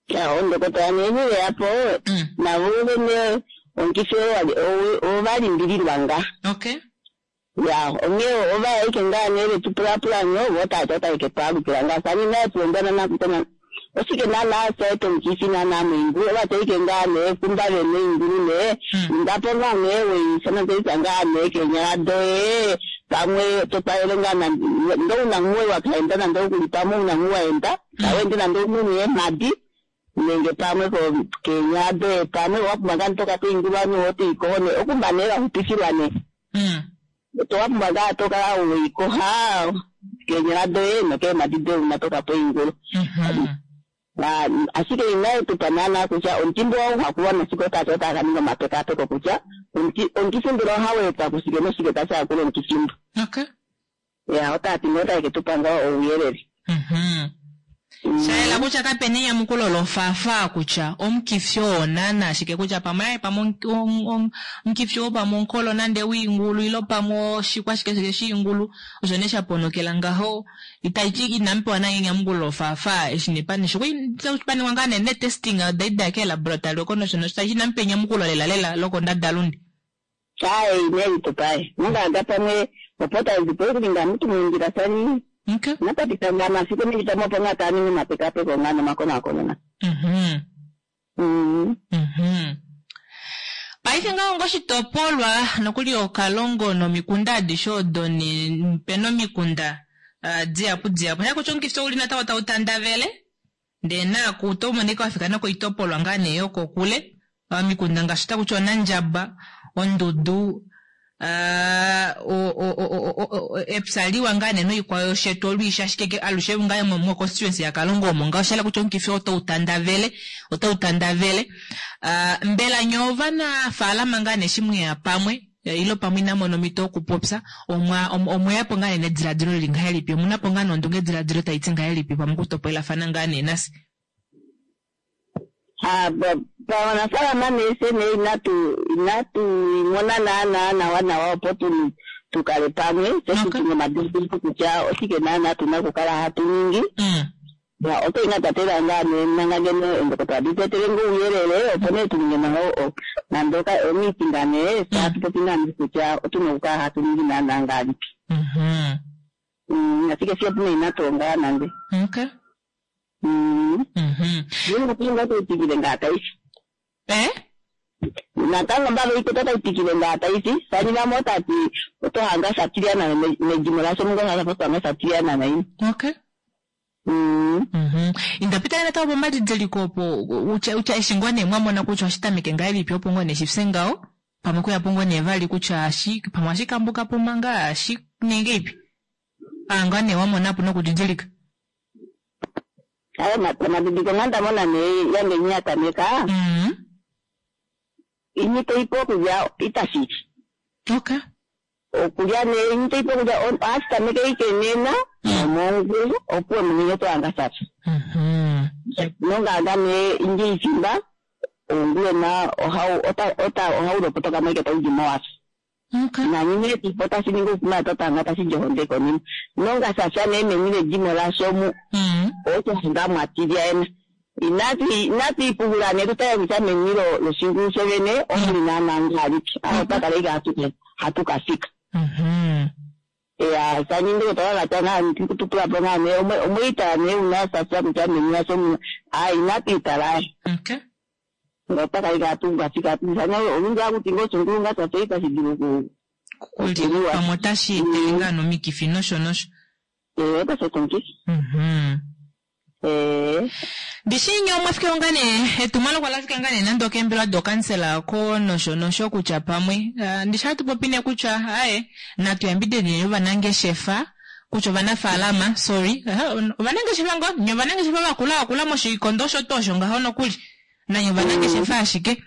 Ya, ondokotola nee veya po navo vene omukifi ova limbililwa nga. Okay. Ya, onghee ova ike ngaa nee vetu pulapula nyo vo tati otaike twaalukila ngaa sani naye tulondana nakutana oshike naana saeta omukifi naana moingulu ova taike ngaa nee kumba vene oingulu nee indapo ngaa nee weisanatelisa ngaa nee keenyala doye pamwe to talele ngaa ndo una nguwe wakaenda nande okuli pamwe una ngu waenda tawende nande omunhu eemhadi nenge pamwe keenyala doye pamwe owa pumbwa ngaa toka poingulu anu otoikoho nee okumba nee waxupifilwa nee to wapumbwa ngaa tokala weikoha keenyala doye nokeemhadi doye una toka poingulu. Ashike inaye tupa naana kutya omuti mbo wauhakulwa noshike otati otaka ninga omapekapeko kutya omukifi mbela ohau etwa kushike noshike tashi hakula omukifi mbo. Okay. Ya, otati ngoo otake tupa ngaa ouyelele. Shayela kutya kapena enyamukulo lofafa kutya omukifi oo naana ashike kutya pamwe aye pamwe omukifi oo pamwe omukolo nande wiingulu ilo pamwe oshikwa shike shike shiingulu osho nee shaponokela ngaho itaiti inamupewa naye enyamukulo lofafa eshi nepanisho paningwa ngaa nee netesting daida keelaboratory oko nosho nosho taiti inamupewa enyamukulo lela lela lokondadalunde. Aye inelitupaye nongaga pamwe opo tazipo okulinga mutu mundjila sani Okay. napapita nga masiku ningitamo opo nga taa ningi omapekapeko nga nomakonakono na. Paife ngaho ngoshitopolwa nokuli Okalongo nomikunda adishe odo pena omikunda dihapu dihapu shaya kutya omukifi ouli natango tau tandavele ndee naaku oto monika wafika nokoitopolwa ngaa nee yokokule omikunda ngaashi otakutya Onandjaba, Ondudu, epya liwa ngaa nee noikwao yoshetu olwiishi ashike alushe ngaa mo constituency yaKalongo omo ngaho shayela kutya omukifi otau tandavele otau tandavele. Mbela nye ovanafaalama ngaa nee eshi mweya pamwe ilo pamwe inamu mona omhito yokupopya omweya po ngaa nee nediladilo lili ngahelipi omuna po ngaa nondunge ediladilo taiti ngahelipi pamwe okutopolelafana ngaa nee nafye. Ha, pawanafaalama nee fye nee inatu inatu mona naanaa nawa nawa opo tu tukale pamwe fye tu tune omadidiliko kutya oshike naanaa tuna okukala hatu ningi. Ya, oto inga twatela ngaa nee nanga ngeno eendokotola adi tu etele ngoo ouyelele opo nee tu ninge nawa nande omiitinga nee fye hatu popi naanaa kutya otuna okukala hatu ningi naanaa ngahelipi. Ashike fye opo nee inatu ongala nande. Okay. Natango otai ngaa taifi. Eh? Natango mbava ikuta tai twikile ngaa taifi. Sanilamo otati oto hanga satilyana medimo lasho mungo hanga hanga satilyana naini. Okay. Indapita natango pomadidiliko opo utya eshi ngoo nee mwamona kutya oshitameke ngahelipi opo ngoo nee shifye ngaho pamwe kuyapo ngoo nee vali kutya pamwe oshikambuka po manga shi ninge ipi anga nee wamonapo nokudidilika. Ayo madidiliko nga ndamona nee yange nyatameka. Inyi toipo okulya itashiki. Okay. Okulya nee inyi toipo okulya ohashi ike nena nomongulu opuwo munyenye tohanga shasha. Nonganga nee inji ifimba oungulwena ohau ota ohau lopotoka mo ike taudi mowasha. Okay. Nanye tipo tashi ningi okuma totanga tashi dji konima. Nonga shasha nee meni ledimo lasho mu otohanga mwatilya ena. Inatu ipungula nee tutale kutya meni loshingulu shovene omuli naanaa ngahelipi. Aho otakala ike hatu kafika. Ya sani ndokotola vatya ngaa kututula po ngaa nee omweitala nee una sasha kutya meni lasho muna a inatu itala. Okay. Otakala ike hatu kafika. Sani olundji akuti ngoo oshingulu nga shasha itashi dulu kuliwa. Pamwe otashi etele ngaa nomikifi nosho nosho. Otashi eta omukifi. Ndishi nye omwafike nga nee etumwalaka olafika nga nee nande okeembelwa dokansela ko nosho nosho kutya pamwe ndishi hatu popi nee kutya aye natu yambidideni ovanangeshefa kutya ovanafaalama sorry ovanangeshefa ngoo nye ovanangeshefa vakula vakula moshikondo osho tuu osho ngaho nokuli nanye ovanangeshefa ashike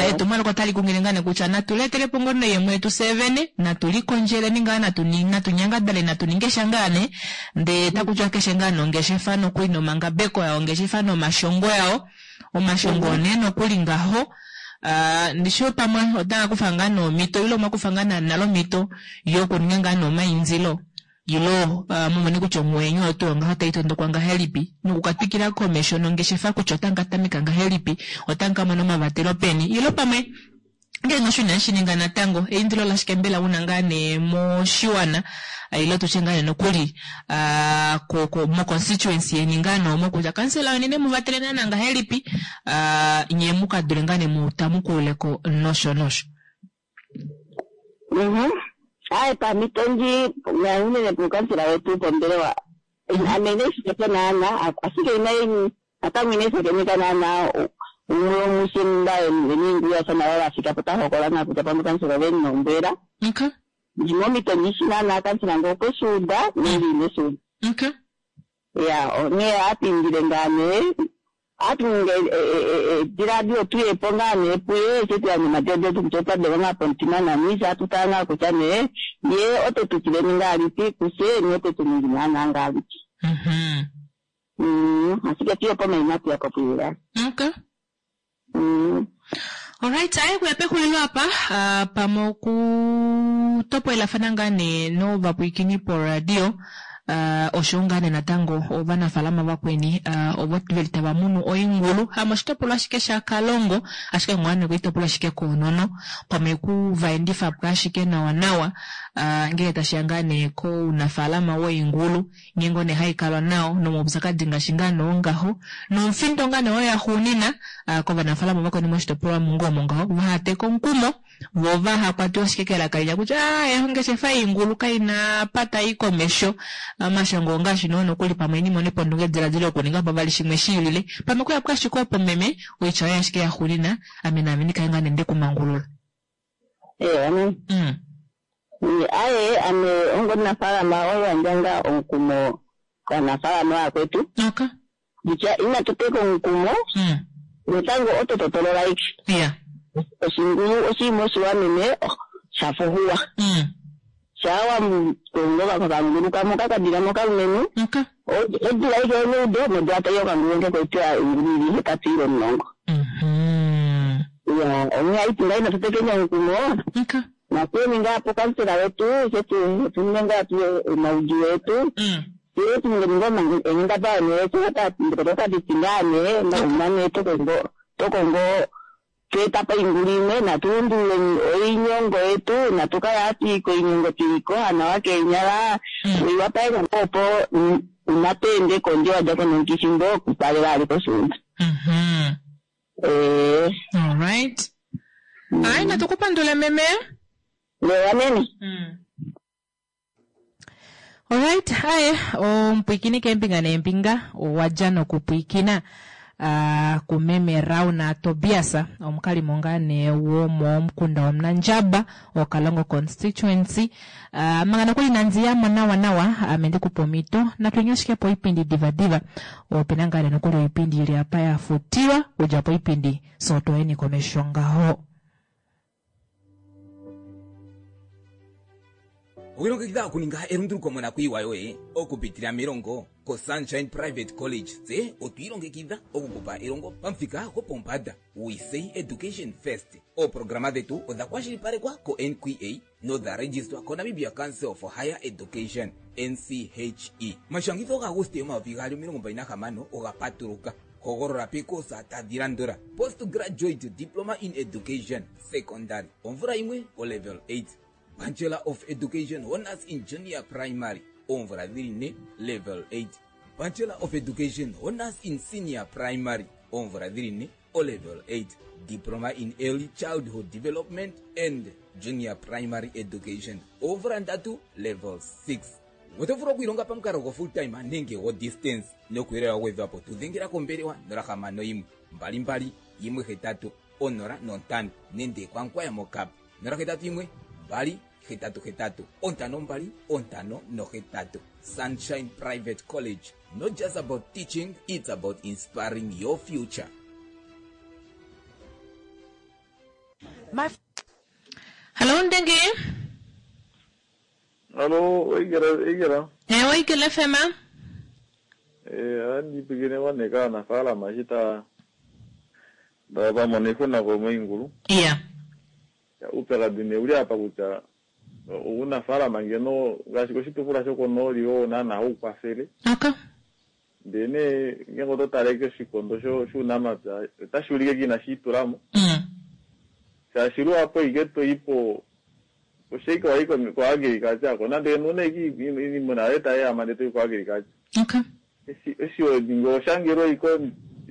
etumwalaka otali kungile ngaa nee kutya natu letelepo ngoo noiyemo yetu fye vene natu likondjeleni ngaa natu nyangadale natu ninge sha ngaa nee ndee takutiwa keshe ngaa nongeshefa nokuli nomangabeko yao ongeshefa nomashongo yao omashongo nee nokuli ngaho ndishi pamwe otanga kufa ngaa nomhito ile omwakufa ngaa nale omhito yokuninga ngaa nomaindilo ilo mumone kutya omwenyo otu ngaho tai tondokwa ngahelipi nokukatwikila komesho nongeshefa kutya otanga tameka ngahelipi otanga mona omavatelo peni ilo pamwe ngenge osho inashi ninga natango eindilo lashike mbela una ngaa nee moshiwana ilo tutye ngaa nee nokuli mo constituency yeni ngaa noomo kutya kansela weni nemuvatele naana ngahelipi nye mukadule ngaa nee mutamukuleko nosho nosho. Aye pamhito ndji unene puukansela wetu pombelewa ame inaifikako naana ashike natango inaishakeneka naana umwe womushe mba veniinguya navo vafika po tahokola naa kutya pamwe kansela oveni nombwela. Okay. Ndimomhito ndishi naana kansela ngee okweshiuda nenge ineshiuda. Okay. Ya onghee ohatu indile ngaa nee ohatu ningi edilaadilo tuyepo ngaa nee puye eshi tuyandja omadiladilo kutya otwa ngaa pomutima nani eshi hatu tala ngaa kutya nee ye ote tukileni ngahelipi kufye ni ote tuningi naana ngahelipi. Ashike tuyepo mainatu yapo puyela. Okay. Alright, aye kuya pexulilo apa pamwe okutopwelafana ngaa nee novapwiikini poradio osho ngaa nee natango ovanafaalama vakweni ovo veli tava munu oingulu hamoshitopolwa ashike shaKalongo ashike ngaa nee koitopolwa ashike koonono pamwe kuvaendifa po ashike nawa nawa ngele tashiya ngaa nee kounafaalama woingulu nghee ngoo nee haikalwa nao nomaupyakadi ngaashi ngaa nee ongaho nomufindo ngaa nee oyo yaxuunina kovanafaalama vakweni moshitopolwa mungo ngaho vahateka omukumo vo vahakwatiwa ashike kelaka linya kutya ongeshefa yoingulu kaina pata i komesho omashongo ongaashi noo nokuli pamwe nimone pondunge ediladilo yokuninga po vali shimwe shiilile pamwe kuya ashike opo meme oitya oyo ashike yaxuunina ame naame ndikale ngaa nee ndekumangulula. Aye ame ongomunafaalama oyandja ngaa omukumo kovanafaalama vakwetu. Okay. Kutya inatu teka omukumo natango oto totolola ike. Yeah. Oshingulu oshinima oshiwanene shafuhuwa. Shaa wakongo kakangulu kamwe kakadila mokalumenhu. Okay. Odula aike yoneudo nodula tai okangulu nge koitwa oingulu ili 8 ile 10. Ya, onghee haiti ngai natutekeni omukumo. Natuyeni ngaa pukansela wetu shetu tuninge ngaa tu omaudjuu etu. Tule tuninge ninge enghendabala nee otadi ti ngaa nee mane tokongo tweeta po oingulu imwe natulundululeni oinyongo yetu natukale hatu i koinyongo tuliko nawa keenyala oiwapaleka opo unatweende kondje wadja ko nomukifi ngo okupalela ali koshuunda. Alright. Ai natukupandule meme. Lewa meme. Alright, aye omupwikini keembinga neembinga owadja nokupwikina kumeme Rauna Tobias omukalimo ngaa nee womomukunda wOmunandjaba Okalongo constituency. Manga nokuli nandi yamo nawa nawa ame ndikupe omhito natwenye ashike poipindi divadiva opena ngaa nee nokuli oipindi ili apa ya futilwa kudja poipindi so toyeni komesho ngaho. Owilongekidha okuninga elunduluko monakuyiwa yoye okupitila melongo koSunshine Private College. Tse otwi ilongekidha okukupa elongo pamuthika gopombanda. We say education first. Ooprograma dhetu odha kwashilipalekwa ko-NQA nodha registwa koNamibia Council for Higher Education, NCHE. Omashangitho gaAguste 2026 oga patuluka. Hogolola peekosa tadhi landula: Postgraduate Diploma in Education, Secondary, omvula yimwe, olevel 8. Bachelor of Education Honours in Junior Primary, oomvula dhili ne, level 8. Bachelor of Education Honours in Senior Primary, oomvula dhili ne, olevel 8. Diploma in Early Childhood Development and Junior Primary Education, oomvula ndatu, level 6. Oto vulu okwiilonga pamukalo go full time nenge go distance nokuyelela wa gwedhwa po tu dhengela kombelewa 061 22 18 05 nenge kwankwaya mokap 081 2 88 52 58. Sunshine Private College, not just about teaching, it's about inspiring your future. My Hello Ndenge. Hallo, Oigela, Igela. Ewe Igela FM. Ohandi pulakene wane kaanafaalama eshi ta va mona oixuna komoingulu. Uupyakadi nee uli apa kutya ounafaalama ngeno ngaashi koshitukulwa shokonooli oo naana hau kwafele. Ndee nee ngeenge oto tale koshikondo shuunamapya otashi ulike inashi itulamo. Shaashi luhapu ike toipo oshaike wayi ko agriculture ko nande una ike iimuna yoye tayeehama ndee toyi ko agriculture. Eshi weninga oshangelwa iko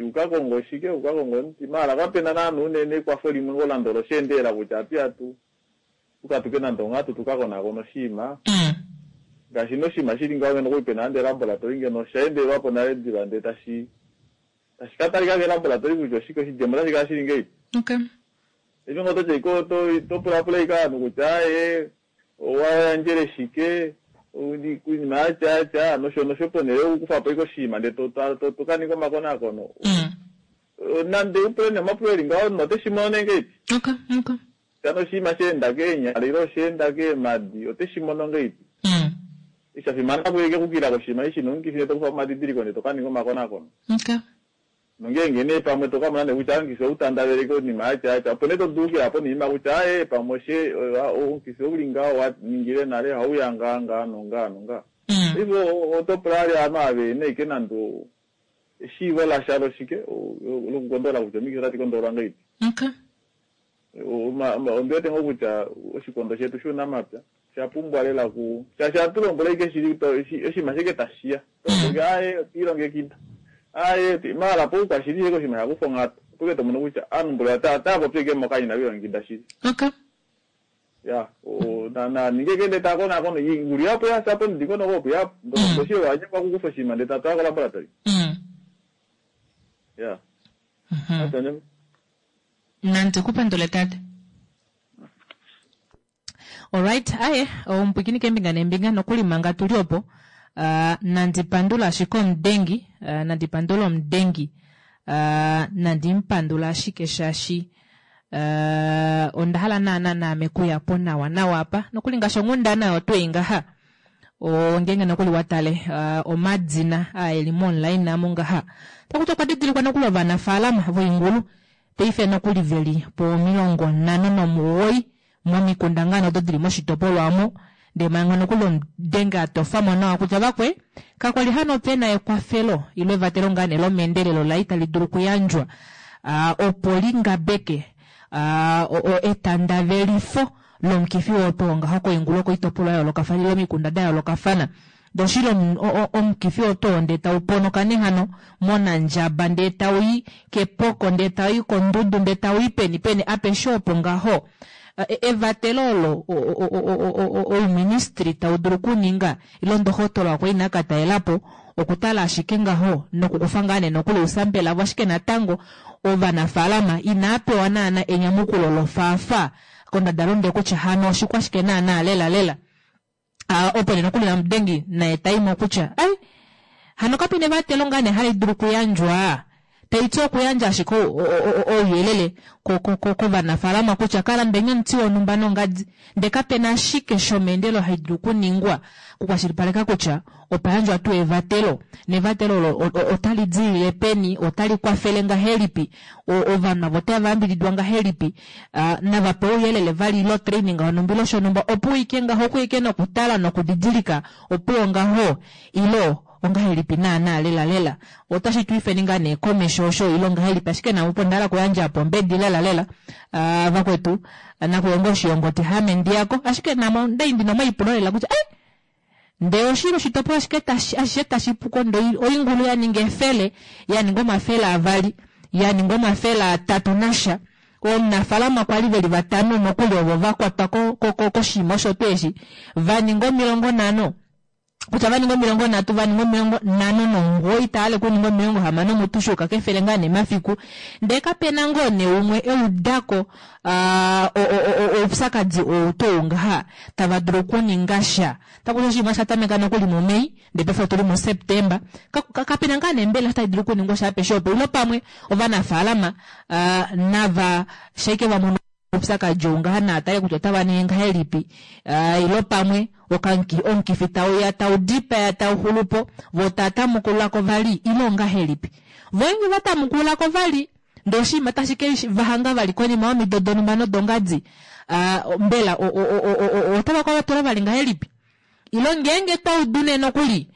ukakonga oshike ukakonga omuti maala kapena naana unene ekwafo limwe ngoo nande olosheendelela kutya atuya tu tukatuke nande onghatu tukakonakone oshinima. Ngaashi noshinima shili ngaho ngeno okuli pena nande elaboratory ngeno osha endelelwapo nale diva ndee tashi tashi katalika ke laboratory kutya oshike oshidjemo otashi kala shili ngahelipi. Eshi ngoo totya ike topulapula ashike ovanhu kutya aaye owayandjele shike oinima yatya yatya nosho nosho ponhele yokukufapo ashike oshinima ndee tokaninga omakonakono. Nande upule nee omapulo eli ngaho omunhu oteshi mono nee ngahelipi? Kutya nee oshinima shaenda keenyala ile oshaenda keemadi oteshi mono ngahelipi? Eshi shafimana apo ashike okukila koshinima eshi shina omukifi ndee tokufa omadidiliko ndee tokaninga omakonakono. Nongeenge nee pamwe to ka mona nee kutya omukifi ou tandaveleke oinima yatya yatya, opo nee to dulu okuya po noinima kutya aaye pamwe oshe omukifi ou li ngaho wa ningile nale ohau ya ngaa ngaa nongaa nongaa. Paife oto pula vali ovanhu ava vehena ashike nande eshiivo lasha loshike lokukondola kutya omikifi otadi kondolwa ngahelipi. Ondi wete ngoo kutya oshikondo shetu shuunamapya osha pumbwa lela ku shaashi ohatu lombwele ashike shili oshinima ashike tashiya tolombwele aaye otwiilongekida aaye maala poukwashili ashike oshinima sha kufa onghatu opo ashike tomono kutya ovanhu mboli otava popi ashike mokanya inave lilongekida shili. Ya naninge ashike ndee taakonaakona oingulu yapo yafya pomudingonoko opo yapo ndoshi owanyengwa okukufa oshinima ndee tatwala kolaboratory. Ya. Nandi ku pandule tate. Alright, aye, omupwikini keembinga neembinga nokuli manga tuli opo, nandi pandula ashike omudengi, nandi pandula omudengi, nandi mu pandula ashike shaashi onda hala naana naame kuya po nawa nawa apa, nokuli ngaashi onghundana oyo twei ngaha. Ngeenge nokuli wa tale omadina aa eli moonline amu ngaha, takuti okwa didilikwa nokuli ovanafaalama voingulu paife nokuli veli po 59 momikunda ngaa odo dili moshitopolwa omo. Ndee manga nokuli omudenge a tofamo nawa kutya vakwe kakwali hano pena ekwafelo ile evatelo ngaa nee lomeendelelo la itali dulu okuyandjwa opo li ngabeke etandavelifo lomukifi oo twoo ngaho koingulu okoitopolwa ya yoolokafana ile omikunda da yoolokafana. Doshili omukifi oo twoo ndee tau ponoka nee hano mOnandjaba ndee tau i kEpoko ndee tau i kOndudu ndee tau i peni peni apeshe opo ngaho evatelo olo ouministry tau dulu okuninga ile ndohotola okwa ina ka talela po okutala ashike ngaho nokukufa ngaa nee nokuli ousampela avo ashike natango ovanafaalama inaa pewa naana enyamukulo lofaafa kondadalunde kutya hano oshikwashike naana lela lela. Opo nee nokuli namudengi naye taimo kutya ai hano kape na evatelo ngaa nee hali dulu okuyandjwa taiti okuyandja ashike ouyelele kovanafaalama kutya ka landeni omuti wonhumba nongadi ndee kape na ashike shomeendelo hai dulu okuningwa okukwashilipaleka kutya opa yandjwa tuu evatelo nevatelo olo otali dilile peni otali kwafele ngahelipi ovanhu avo otava yambididwa ngahelipi nava pewe ouyelele vali ile otraining yonhumba ile shonhumba opo uike ngaho okuike nokutala nokudidilika opuwo ngaho ile ongahelipi naana lela lela otashi tu ifeni ngaa nee komesho osho ile ongahelipi ashike namupo onda hala okuyandja apa ombedi lela lela vakwetu nakuyonga oshiyongoti hame ndiyako ashike namo ndai ndina omaipulo lela kutya ai ndee oshili oshitopolwa ashike ashishe tashi puko ndee oingulu ya ninga efele ya ninga omafele avali ya ninga omafele atatu nasha omunafalama kwali veli vatano nokuli ovo va kwatwa koshinima osho tuu eshi va ninga 50 kutya va ninga 30 va ninga 59 itaale kuninga 60 mutu shuuka kefele ngaa nee mafiku ndee kapena ngoo nee umwe eudako oupyakadi ou tuu ngaha tava dulu okuninga sha takuti oshinima sha tameka nokuli muMei ndee paife otuli muSeptemba kapena ngaa nee mbela tai dulu okuningwa sha apeshe opo ilo pamwe ovanafaalama nava shaike va mono oupyakadi ou ngaha naa tale kutya otava ningi ngahelipi ilo pamwe omukifi tauya tau dipaya tau xulupo vo taa tamukululako vali ile ongahelipi vo nge va tamukululako vali ndee oshinima tashi ke va hanga vali konima yomido donhumba nodongadi mbela otava ka vatula vali ngahelipi ilo ngeenge twa udu nee nokuli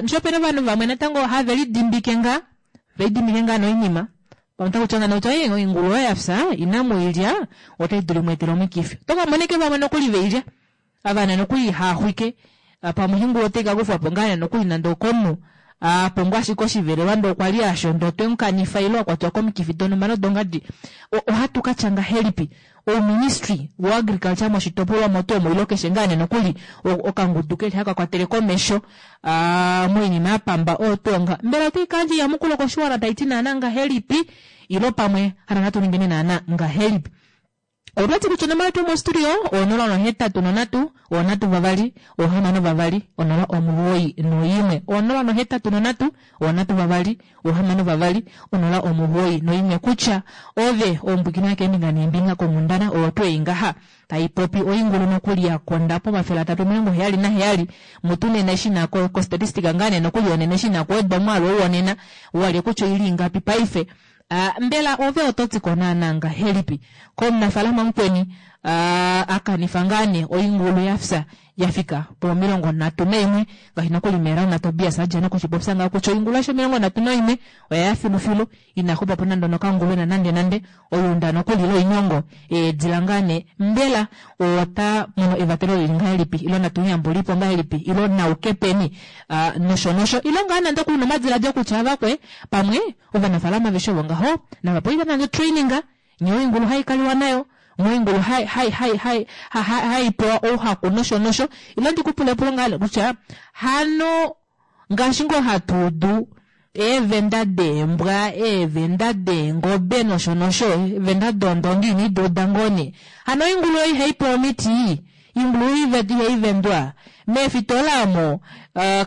nisho opena ovanhu vamwe natango have lidimbike ngaa velidimbike ngaa noinima pamwe otaku ti kutya oingulu oyo yafya inamu ilya otai dulu imweetele omikifi oto ka mona ike vamwe nokuli veilya avana nokuli haaxwike pamwe oingulu otai ka kufwapo ngaa nokuli nande okomunhu apumbwa ashike oshivelelwa ndee okwa li asho ndee otwe mukanifa ile akwatwa komikifi donhumba nodongadi ohatu katya ngahelipi ouministry woagriculture moshitopolwa omo tuu omo ile keshe ngaa nee nokuli okangudu keli haka kwatele komesho moinima ya pamba oyo tuu nga mbela otai kayandja enyamukulo koshiwana taiti naana ngahelipi ilo pamwe hano natu ningeni naana ngahelipi Otwati kutya onomola yetu yomostudio 083 3 62 091 083 32 62 091 kutya ove ombwikino yakeembinga neembinga konghundana oyo tuu ei ngaha taipopi oingulu nokuli yakonda pomafele atatu 77 mutu nena eshi na kostatistika ngaa nee nokuli yonena eshi na kuwedwa omwaalu ou wonena walye kutya oili ingapi paife Mbela ove oto ti ko naanaa ngahelipi komunafaalama mukweni a kanifa ngaa nee oingulu ya fya ya fika po 31 ngaashi nokuli Meerauna Tobias a dja nokushipopya ngaho kutya oingulu aishe 31 oya ya filufilu ina xupa po nande onokangulwena nande nande oyuunda nokuli loinyongo eedila ngaa nee mbela ota mono evatelo lili ngahelipi ilo natu mu yambulipo ngahelipi ilo nauke peni nosho nosho ilo ngaa nande okuli nomadilaadilo kutya avakwe pamwe Ovanafaalama aveshe ovo ngaho nava pewe nande otraining nghee oingulu hai kaliwa nayo, nghee oingulu hai hai hai hai hai pewa ouhaku nosho nosho. Ilo ndi ku pule epulo ngaa kutya hano ngaashi ngoo hatu udu eevenda deembwa, eevenda deengobe nosho nosho, eevenda doondongi ino di uda ngoo nee. Hano oingulu oyo ihai pewa omiti? Oingulu ihai vendwa? Meefitola omo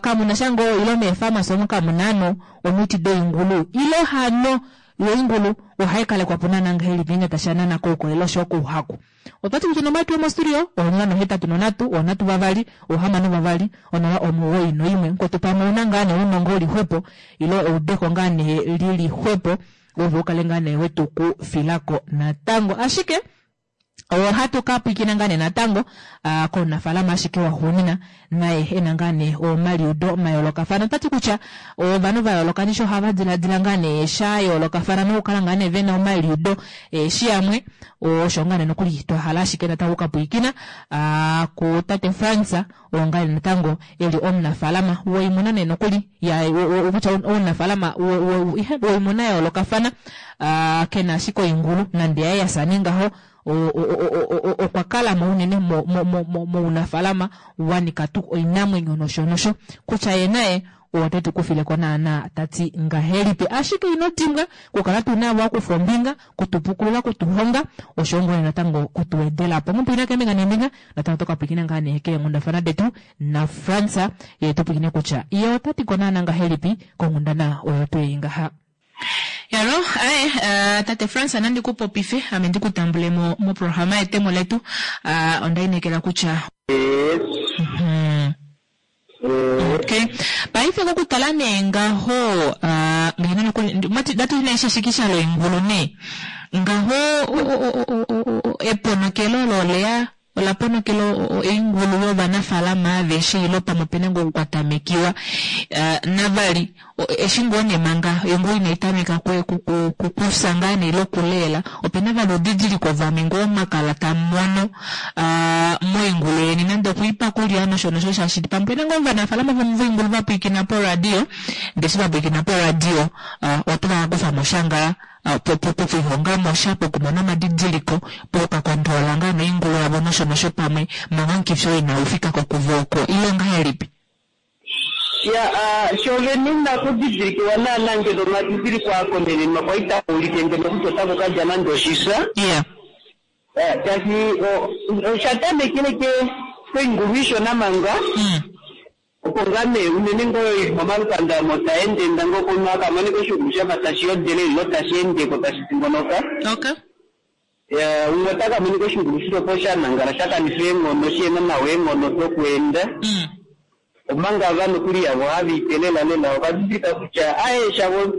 kamu na sha ngoo ilo meefarmasi omo kamu na hano omiti doingulu ilo hano yo oingulu ohai kalekwa po naana ngahelipi ngeenge tashi ya naana koukolele oshoyo kouhaku? Otwati kutya onomola yetu yomostudio 083 3 6 2 091. Mukwetu pamwe ouna ngaa nee ounongo uli xwepo ile eudeko ngaa nee lili xwepo ove ukale ngaa nee wetu kufilako natango. Ashike ohatu ka pwiikina ngaa nee natango komunafaalama ashike waxuunina naye ena ngaa nee omaliudo mayoolokafana. Otati kutya ovanhu va yooloka nisho ohava diladila ngaa nee sha yoolokafana nokukala ngaa nee vena omaliudo eshi yamwe osho ngaa nee nokuli twa hala ashike natango okukapwiikina ku tate Frans oo ngaa nee natango eli omunafaalama woimuna nee nokuli kutya omunafaalama woimuna ya yoolokafana kena ashike oingulu nande yaye yafya nee ngaho okwa kala mo unene mounafaalama wanika tuu oinamwenyo nosho nosho kutya ye naye ote tu kufileko naana tati ngahelipi. Ashike ino dimbwa kukala tuna wakufa ombinga kutupukulula kutuhonga osho ngoo natango kutuwedelapo. Mupwina keembinga neembinga natango tokapwikina ngaa nee keenghundafana detu na Frans ye tupwikine kutya ye otati ko naana ngahelipi konghundana oyo tuu ngaha. Yalo, aye, tate Frans nandi ku popife, ame ndi ku tambule mo moprograma yetemo letu. Onda inekela kutya Okay. Paife kokutala nee ngaho ngeno nokuli datu nee shishikisha loingulu nee. Ngaho eponokelo olo oleya ola ponokela oingulu yovanafaalama aveshe ilo pamwe opena ngoo okukwatamekiwa. Navali eshi ngoo nee manga oingulu inai tameka kufya ngaa nee ile okuleela opena vali oudidiliko vamwe ngoo mwakala tamumono moingulu yeni nande okuipa kulya nosho nosho shaashi pamwe opena ngoo ovanafaalama vamwe voingulu vapwiikina poradio ndee eshi vapwiikina poradio otava kufamo sha ngaa pokulihongamo sha pokumona omadidiliko pokakontrola ngaa noingulu yavo nosho nosho pamwe manga omukifi oo inau fika ko kuvo oko ile ongahelipi? Ya, shovene inaku didilikiwa naana ngeno omadidiliko akonenenwa kwali taa ulike ngeno kutya otaku kadja nande oshifya. Shaashi osha tamekele koingulu ishona manga. Opo ngaa nee unene ngoo ili momalukanda omo taendeenda ngoo komunhu akamoneka oshingulu shafa tashi yodele ile tashi endeko tashi dingonoka. Umwe ota kamonika oshingulu shilopo sha nangala sha kanifa eenghono shihena nawa eenghono dokweenda. Omanga ava nokuli yavo have ipe lela lela ova didilika kutya aye shavo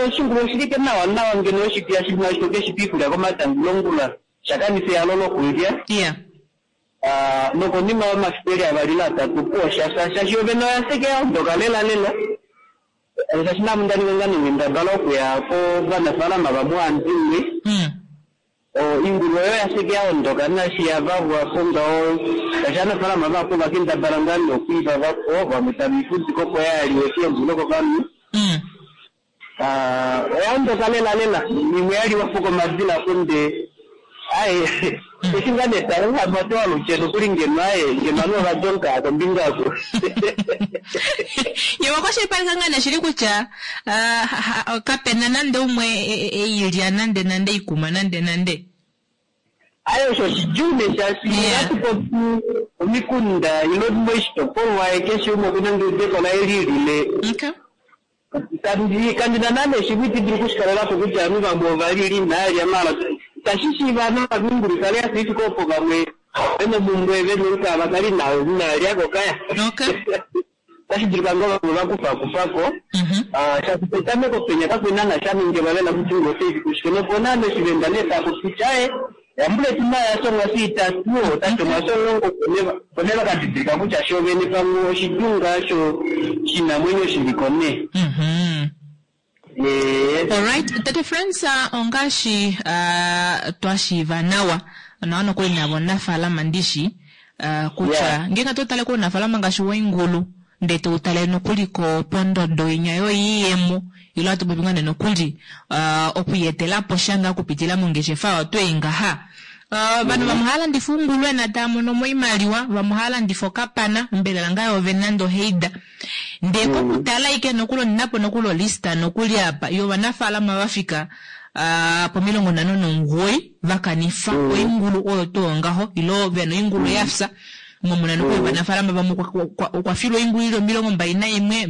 oshingulu oshilike nawa nawa ngeno oshipiya shina oshitoke shipe iikulya komatango ongula shakanifa ehalo lokulya. Nokonima yomafiku eli avali ile atatu opuwo shafya shaashi yovene oya seke yaondoka lela lela. Shaashi name onda ninga ngaa nonghendabala okuya kovanafaalama vamwe ohandimwe. Oingulu oyo yaseke yaondoka naashi yavavwapo ngaho shaashi aanafaalama vahapu ovakendabala ngaa nee okwiivavapo vamwe tave ifudike opo yaaliwe keembwa ile kovanhu. Oya ondoka lela lela imwe yaliwapo komadila konde aye eshi ngaa nee talehama oto walutye nokuli ngeno aye ngeno ovanhu ovadonka kombinga oko. Ye wakwashilipaleka ngaa nee shili kutya kapena nande umwe eilya nande nande ikuma nande nande. Aye osho oshidjuu nee shaashi ohatu popi omikunda ile moshitopolwa keshe umwe okuna ngeudeko laye lilile. Kandina naana shimwe iti dulu okushikalelapo kutya ovanhu vamwe ovalili inaalya maala itashi shiiva nawa oingulu ikale yafa ifike opo vamwe vena omumbwe vena olukala vakale inaalyako kaya. Otashi dulika ngoo vamwe vakufakufako. Shaashi petameko penya kakwena naana sha ningilwa lela kutya ingulu otaifiki kushike nopo naana oshivenda nee tapopi kutya aye yambule tina yashonga siitatu otashonga shomulongo opo nee vakadidilika kutya shovene pamwe oshidunga sho shinamwenyo shiliko nee. Alright, Tate Frans, ongaashi twashiiva nawa nawa nokuli navo omunafaalama ndishi kutya ngeenge to tale kounafaalama ngaashi woingulu ndee toutale nokuli pondodo inya yoiyemo ile hatu popi ngaa nee nokuli okwiiyetelapo sha ngaa okupitila mongeshefa oyo twei ngaha. Ovanhu vamwe ohava landifa oungulwena tava mono mo oimaliwa, vamwe ohava landifa okapana, ombelela ngaa yoovene nande oheida. Ndee kokutala ashike nokuli ondinapo nokuli olista nokuli apa yovanafaalama vafika pomilongo nhano nomugoyi vakanifa oingulu oyo tuu ngaho ile vena oingulu yafya. Momuna nokuli ovanafaalama vamwe okwa filwa oingulu ili 21, 31,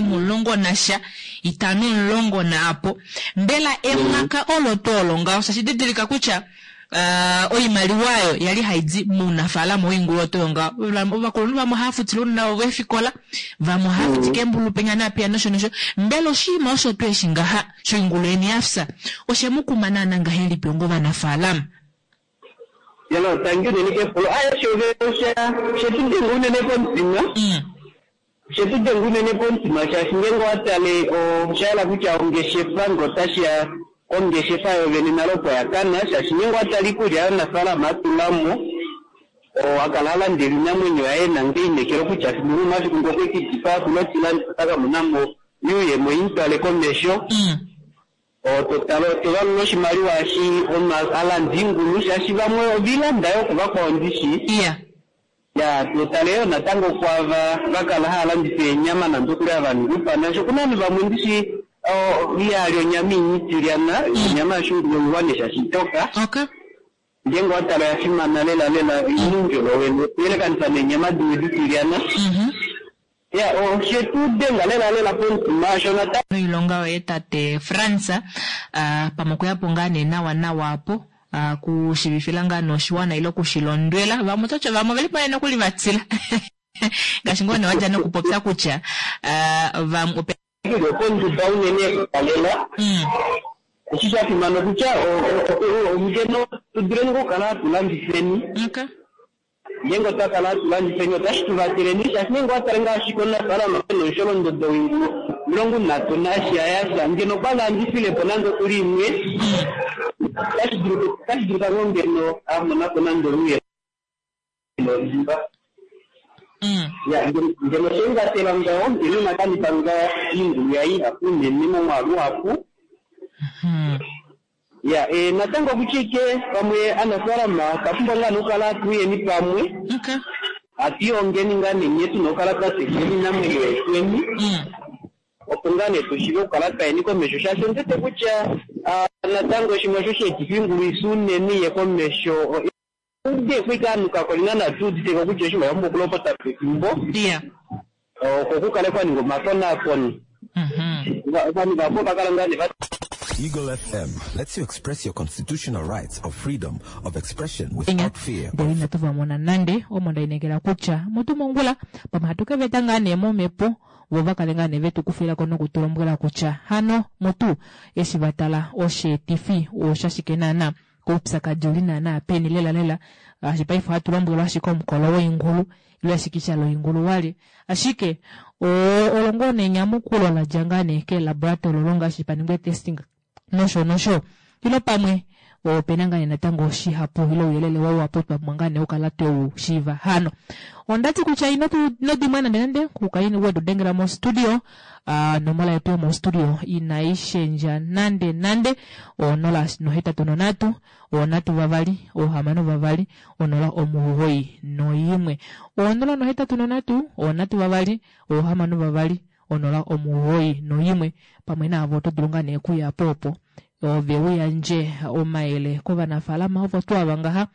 11, 5 10 naapo. Mbela emwaka olo tuu olo ngaho shaashi didilika kutya Uh, oimaliwa oyo yali hai di mounafaalama woingulu oto yonga ovakulunhu vamwe ohava futile ounona vavo eefikola vamwe ohava futi keembulu penya naapiya nosho nosho mbela oshinima osho tuu eshi ngaha shoingulu yeni ya fya oshe mu kuma naana ngahelipi onga ovanafaalama Yalo, tangi unene kepulo. Aye, shove osha shetu denga unene komutima. Shetu denga unene komutima shaashi ngeenge owa tale osha yela kutya ongeshefa ngee otashi ya kongeshefa yovene nale opo ya kana shaashi ngeenge owa tale iikulya yomunafaalama a tula mo a kala a landela oinamwenyo yaye ena ngoo einekelo kutya fimbo limwe omafiku ngee okwe ki dipaa ku notilandifa ota ka mona mo oyuuyemo imutwale komesho. To tale to valula oshimaliwa eshi omunhu a landa oingulu shaashi vamwe ove i landa yoo kuvakwao ndishi. Ya, to tale yoo natango kwaava va kala hava landifa eenyama nande okuli hava ningi oupana shaashi okuna ovanhu vamwe ndishi iha li onyama initilyana, onyama yoshingulu oiwa nee shaashi itoka. Ngeenge owa tala oya fimana lela lela oina oundjolowele okuyelekanifa neenyama dimwe ditilyana. Ya, oshe tu denga lela lela pomutima osho natango. Noilonga yoye tate Frans, pamwe okuya po ngaa nee nawa nawa apo, kushivifila ngaa nee oshiwana ile okushilondwela. Vamwe ototi vamwe oveli po nee nokuli va tila. Ngaashi ngoo nee wadja nokupopya kutya vamwe ope. Li okonduda unene ekukalela. Eshi sha fimana okutya ngeno tu duleni okukala hatu landifeni. Ngeenge otwa kala hatu landifeni otashi tu vateleni shaashi ngeenge owa tale ngaashi komunafaalama e na omusholondodo woingulu 30 nasha ya sha ngeno okwa landifile po nande okuli imwe otashi dulika ngoo ngeno a mona po nande oluye lonhumba. Ya, ngeno oshe mu vatela ngaho ngeno ina kanifa ngaho oingulu yaye ihapu unene momwaalu uhapu. Ya, e, natango okutya ike pamwe anafaalama otwa pumbwa ngaa nee okukala hatu uyeni pamwe, hatu ihongeni ngaa nee nghee tuna okukala twa tekula oinamwenyo yetweni, opo ngaa nee tu shiive okukala twa yeni komesho shaashi ondi wete kutya natango shimwe osho sha etifa oingulu isi unene iye komesho ude ko ike ovanhu kakwa li naana tu udite ko kutya oshinima osha pumbwa okulopota pefimbo opo ku kale kwa ningwa omakonaakono. Ovanhu vahapu ova kala ngaa nee va Eagle FM lets you express your constitutional rights of freedom of expression without fear Ndele inatu va mona nande, omo nda inekela kutya mutu mongula pamwe hatu ke va eta ngaa nee momhepo vo va kale ngaa nee ve tu kufila ko noku tu lombwela kutya hano mutu eshi va tala osheetifi oshashike naana. Oupyakadi ouli naana peni lela lela, shaashi paife ohatu lombwelwa ashike omukolo woingulu ile eshikisha loingulu wali. Ashike olo ngoo nee enyamukulo la dja ngaa nee keelaboratory olo ngaashi pa ningwa eetesting nosho nosho. Ile pamwe ope na ngaa nee natango shihapu ile ouyelele wa wapo twa pumbwa ngaa nee okukala twe u shiiva hano. Onda ti kutya ino tu ino dimwa nande nande kukala we tu dengela mostudio. A Onomola yetu yomostudio inai shendja nande nande, o 083 3 6 2 0 91. O083 3 6 2 0 91. Pamwe naavo oto dulu ngaa nee okuya po opo ove u yandje omayele kovanafaalama ovo tuu ava ngaha.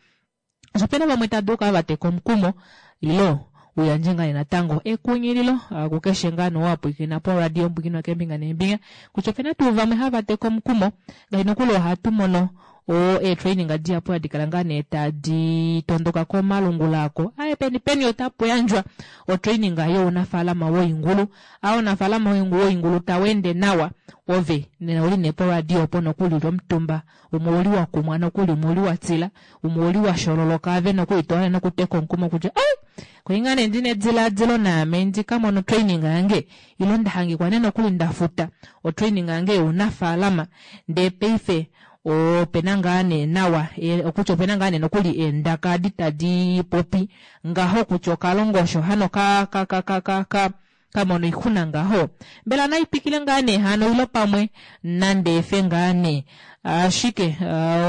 Osho pena vamwe tava dulu okukala va teka omukumo ilo u yandje ngaa nee natango ekunghililo kukeshe ngaa nee oo a pwilikina poradio pwikinwa keembinga neembinga kutya opena tuu vamwe hava teka omukumo ngaashi nokuli ohatu mono o eetraining dihapu hadi kala ngaa nee tadi tondoka komalungula ako aye peni peni otapu yandjwa otraining younafaalama woingulu a ounafaalama woingulu tau ende nawa ove nena uli nee poradio opo nokuli uli omutumba Umwe ouli wa kumwa nokuli, umwe ouli wa tila, umwe ouli wa shololoka, ave nokuli to hala nokuteka omukumo kutya ai, koi ngaa nee ndina edilaadilo naame ndi ka mone otraining yange, ilo nda hangikwa nee nokuli nda futa otraining yange younafaalama, ndee paife ope na ngaa nee nawa, okutya ope na ngaa nee nokuli eendaka adi tadi popi ngaho kutya okalongosho hano ka, ka, ka, ka, ka, ka, ka mona oixuna ngaho? Mbela nai twikile ngaa nee hano ilo pamwe nande efe ngaa nee? Ashike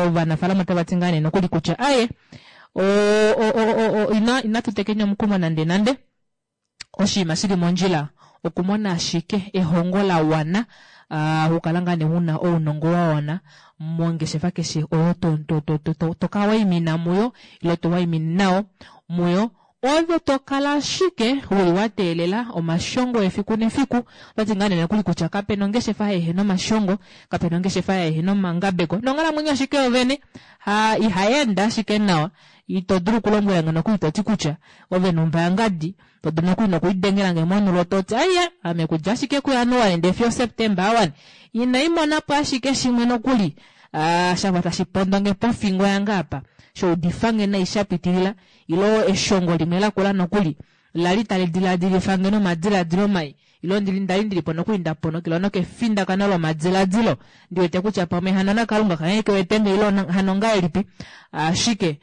ovanafaalama otava ti ngaa nee nokuli kutya aye inatu tekeni omukumo nande nande. Oshinima shi li mondjila okumona ashike ehongo la wana, okukala ngaa nee u na ounongo wa wana mongeshefa keshe oyo to, to, to, to, to ka waimina muyo ilo to waimine nayo muyo. Ove to kala ashike uli wa teelela omashongo efiku nefiku. Otwati ngaa nee nokuli kutya kapena ongeshefa yehena omashongo, kapena ongeshefa yehena omangabeko. Nonghalamwenyo ashike yovene ha ihai ende ashike nawa. Ito dulu okulombwela nge nokuli toti kutya ove numba yangadi, to dulu nokuli nokulidengela nge monulo toti aiya ame kudja ashike kuJanuali ndee fiyo Septemba awani inai mona po ashike shimwe nokuli shafa tashi pondo nge pofingo yange apa, shaudifa nge nai sha pitilila. Ilo eshongo limwe lakula nokuli la li tali diladilifa nge nomadiladilo mai, ilo ndi, nda li ndi li po nokuli nda ponokelwa nokefindakano lomadiladilo, ndi wete kutya pamwe hano naKalunga kange ke wete nge ilo hano ongahelipi. Ashike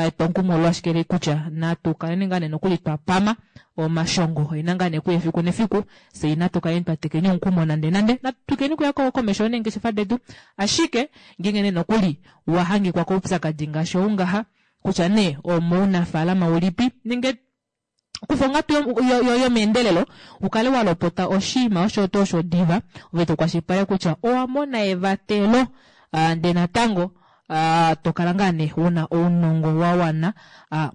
etwomukumo olo ashike li kutya natu kaleni ngaa nee nokuli twa pama. Omashongo oena ngaa nee kuya efiku nefiku, fye inatu kaleni twa tekeni omukumo nande nande, natu twikileni kuya komesho neengeshefa detu. Ashike ngeenge nee nokuli wa hangikwa koupyakadi ngaashi ou ngaha, kutya nee omounafaalama ulipi nenge kufa onghatu yomeendelelo u kale wa lopota oshinima osho tuu osho diva, ove to kwashilipaleke kutya owa mona evatelo ndee natango to kala ngaa nee u na ounongo wa wana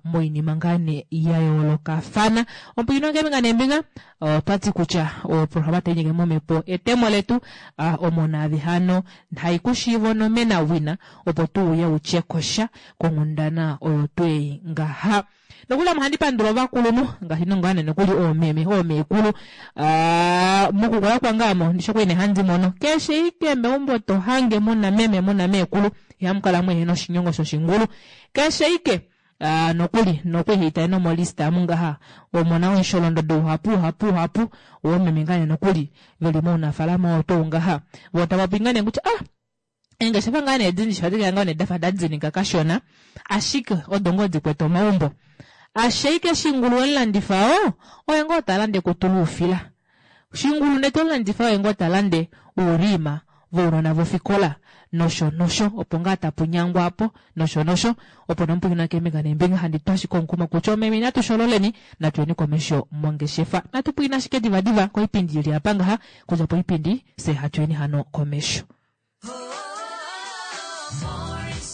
moinima ngaa nee ya yoolokafana. Ompwiino ngeembinga neembinga otwa ti kutya oprograma tai nyenge momhepo etemo letu omo naave hano hai ku shiiva onomena wina opo tu uye u tye ko sha konghundana oyo twei ngaha. Nokuli ame ohandi pandula ovakulunhu ngaashi nongaa nee nokuli oomeme oomeekulu mokukula kwange ame ndishi okwali nee handi mono keshe ike meumbo to hange muna meme muna meekulu ihamu kala muhena oshinyongo shoshingulu keshe ike nokuli nokuli haitale nomolista amu ngaha omona omusholondodo uhapu uhapu uhapu woomeme ngaa nee nokuli veli mounafalama oo tuu ngaha voo tava popi ngaa nee kutya ah Eengeshefa ngaa nee dindji ohadi kala ngaa nee dafa da dinika kashona, ashike odo ngoo di kwete omaumbo. Ashike shingulu we mulandifa oo oye ngoo ta lande ekutu loufila. Shingulu nee to mulandifa oye ngoo ta lande ouriima vounona vofikola nosho nosho opo ngaa tapu nyangwa apo nosho nosho. Opo nee omupwikinwa keembinga neembinga handi tu ashike omukumo kutya oomeme inatu shololeni, natu yeni komesho mongeshefa. Natu pwilikine ashike divadiva koipindi ili apa ngaha, kudja poipindi fye hatu yeni hano komesho.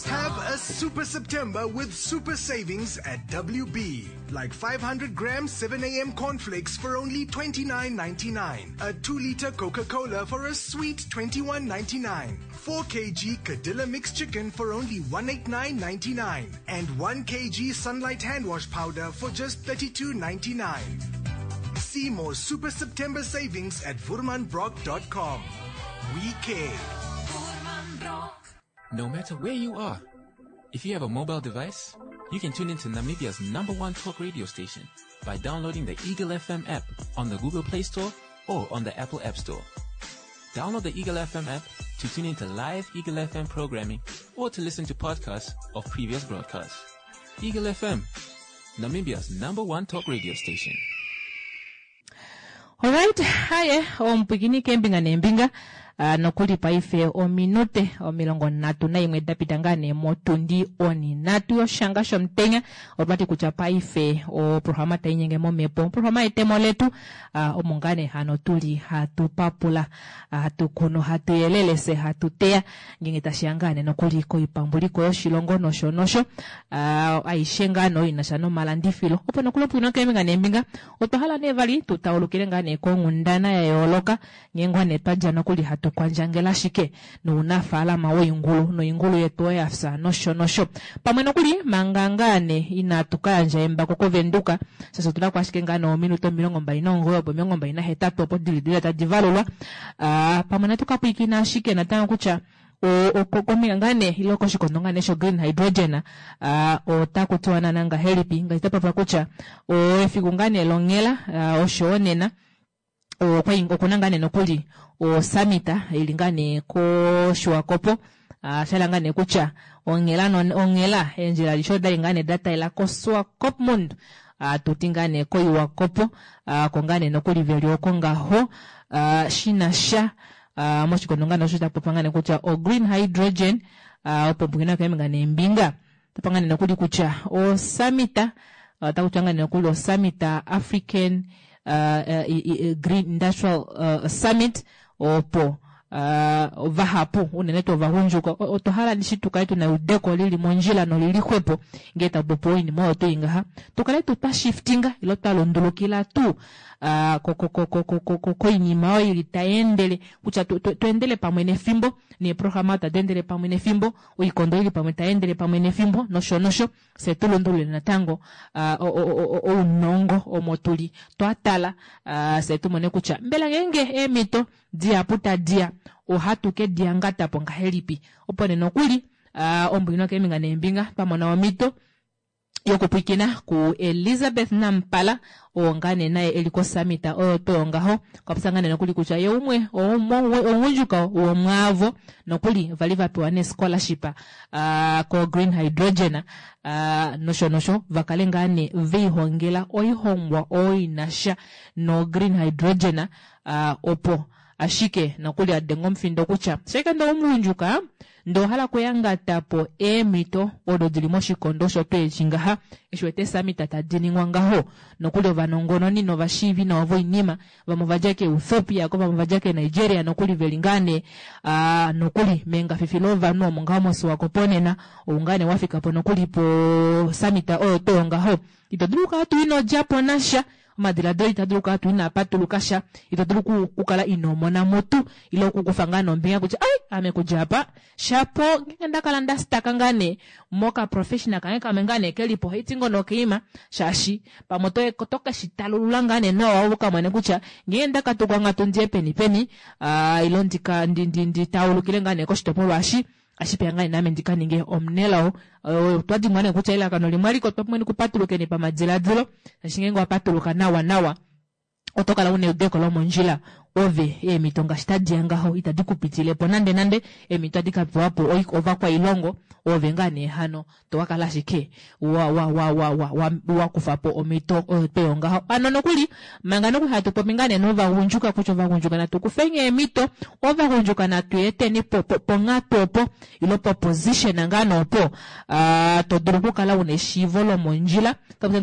Have a super September with super savings at WB. Like 500 grams 7 a.m. cornflakes for only 29.99. A 2 liter Coca-Cola for a sweet 21.99. 4 kg Cadilla mixed chicken for only 189.99. And 1 kg Sunlight hand wash powder for just 32.99. See more Super September savings at VoermanBrock.com. We care. No matter where you are, if you have a mobile device, you can tune into Namibia's number one talk radio station by downloading the Eagle FM app on the Google Play Store or on the Apple App Store. Download the Eagle FM app to tune into live Eagle FM programming or to listen to podcasts of previous broadcasts. Eagle FM, Namibia's number one talk radio station. Alright, haye omupwikini keembinga neembinga uh, nokuli paife ominute 31 da pita ngaa nee motundi oninhatu yoshanga shomutenya. Otwati kutya paife oprograma tai nyenge momhepo, oprograma yetemo letu uh, omo ngaa nee hano tuli hatu papula, hatu kunu, hatu yelele se hatu teya ngenge tashiya ngaa nee nokuli koipambuliko yoshilongo nosho nosho uh, aishe ngaa nee ina sha nomalandifilo opo nokuli opwino keembinga neembinga. Otwa hala nee vali tu taulukile ngaa nee konghundana ya yooloka nghee ngoo nee twa dja nokuli hatu kwandjangele ashike nounafaalama woingulu noingulu yetu oyo ya fya nosho nosho. Pamwe nokuli manga ngaa nee inatu ka yandja embako kOvenduka shaashi otu na ko ashike ngaa nee ominute 29 opo 28 opo dili dili tadi valulwa. Pamwe natu ka pwilikine ashike natango kutya kombinga ngaa nee ile koshikondo ngaa nee sho green hydrogen otaku tiwa naana ngahelipi ngaashi tapapwa kutya efiku ngaa nee longhela oshowo nena okuna ngaa nee nokuli osummit ili ngaa nee koShiwakopo shala ngaa nee kutya onghela onghela eendjila adishe odali ngaa nee datalela koSwakopmund tuti ngaa nee koIwakopo oko ngaa nee nokuli veli oko ngaho shina sha moshikondo ngaa nee osho tapopiwa ngaa nee kutya o green hydrogen opo pungina keembinga neembinga tapa ngaa nee nokuli kutya o summit otaku tiwa ngaa nee nokuli o summit African Green Industrial Summit opo. Vahapu unene tuu ovagundjuka otwa hala ndishi tu kale tuna eudeko lili mondjila nolili xwepo ngee taku popiwa oinima oyo tuu ngaha tu kale tuu twa shiftinga ile twa lundulukila tuu koinima oyo ili tai endele kutya tu endele pamwe nefimbo neeprograma tadi endele pamwe nefimbo oikondo ili pamwe tai endele pamwe nefimbo nosho nosho Fye tu lundulule natango ounongo omo tu li twa tala, fye tu mone kutya mbela ngeenge eemhito dihapu tadi ya ohatu ke di yangata po ngahelipi. Opo nee nokuli ombwino keembinga neembinga twa mona omhito yokupwiikina kuElizabeth Nampala oo ngaa nee naye eli kosummit oyo tuu ngaho okwa popya ngaa nee nokuli kutya ye umwe omugundjuka womwaavo nokuli vali va pewa nee scholarship ko Green Hydrogen nosho nosho va kale ngaa nee veihongela oihongwa oyo inasha no Green Hydrogen opo ashike nokuli a denga omufindo kutya sheke ndee omugundjuka Ndee owa hala okuyangata po eemhito odo di li moshikondo osho tuu eshi ngaha, eshi wete eesummit tadi ningwa ngaho, nokuli ovanongononi novashiivi nawa voinima, vamwe ova dja keEuthiopia ko vamwe ova dja keNigeria nokuli ve li ngaa nee nokuli mengafifi lovanhu omo ngaho moSwakopo nena, ou ngaa nee wa fika po nokuli posummit oyo tuu ngaho. Ito dulu okukala tuu ino dja po nasha. Omadiladilo ita dulu okukala tuu inaa patuluka sha. Ito dulu okukala inoo mona mo tuu ile okukufa ngaa nombinga kutya ai ame kudja apa shapo ngeenge nda kala nda staka ngaa nee moka professional kange kamwe ngaa nee kelipo ohaiti ngoo nokeima shaashi pamwe oto ke shi talulula ngaa nee nawa u ka mone kutya ngeenge nda katuka onghatu ndiye peni peni ile ndika ndi taulukile ngaa nee koshitopolwa eshi Ashike ngaa naame ndi ka ninge omunelao. Otwa dimbwa nee kutya elalakano limwe alike otwa pumbwa okupatulukeni pamadiladilo, shaashi ngeenge owa patuluka nawa nawa oto kala una eudeko lomondjila. Ove eemhito ngaashi tadi ya ngaho itadi ku pitile po nande nande, eemhito tadi ka pewa po ovakwailongo, oove ngaa nee hano to ka kala ashike wa wa wa wa wa wa wa kufa po omhito oyo tweyo ngaho. Ano nokuli manga nokuli hatu popi ngaa nee novagundjuka kutya ovagundjuka natu kufeni eemhito, ovagundjuka natu eteni po po ponghatu opo ilo po position ngaa nee opo to dulu okukala una eshiivo lomondjila.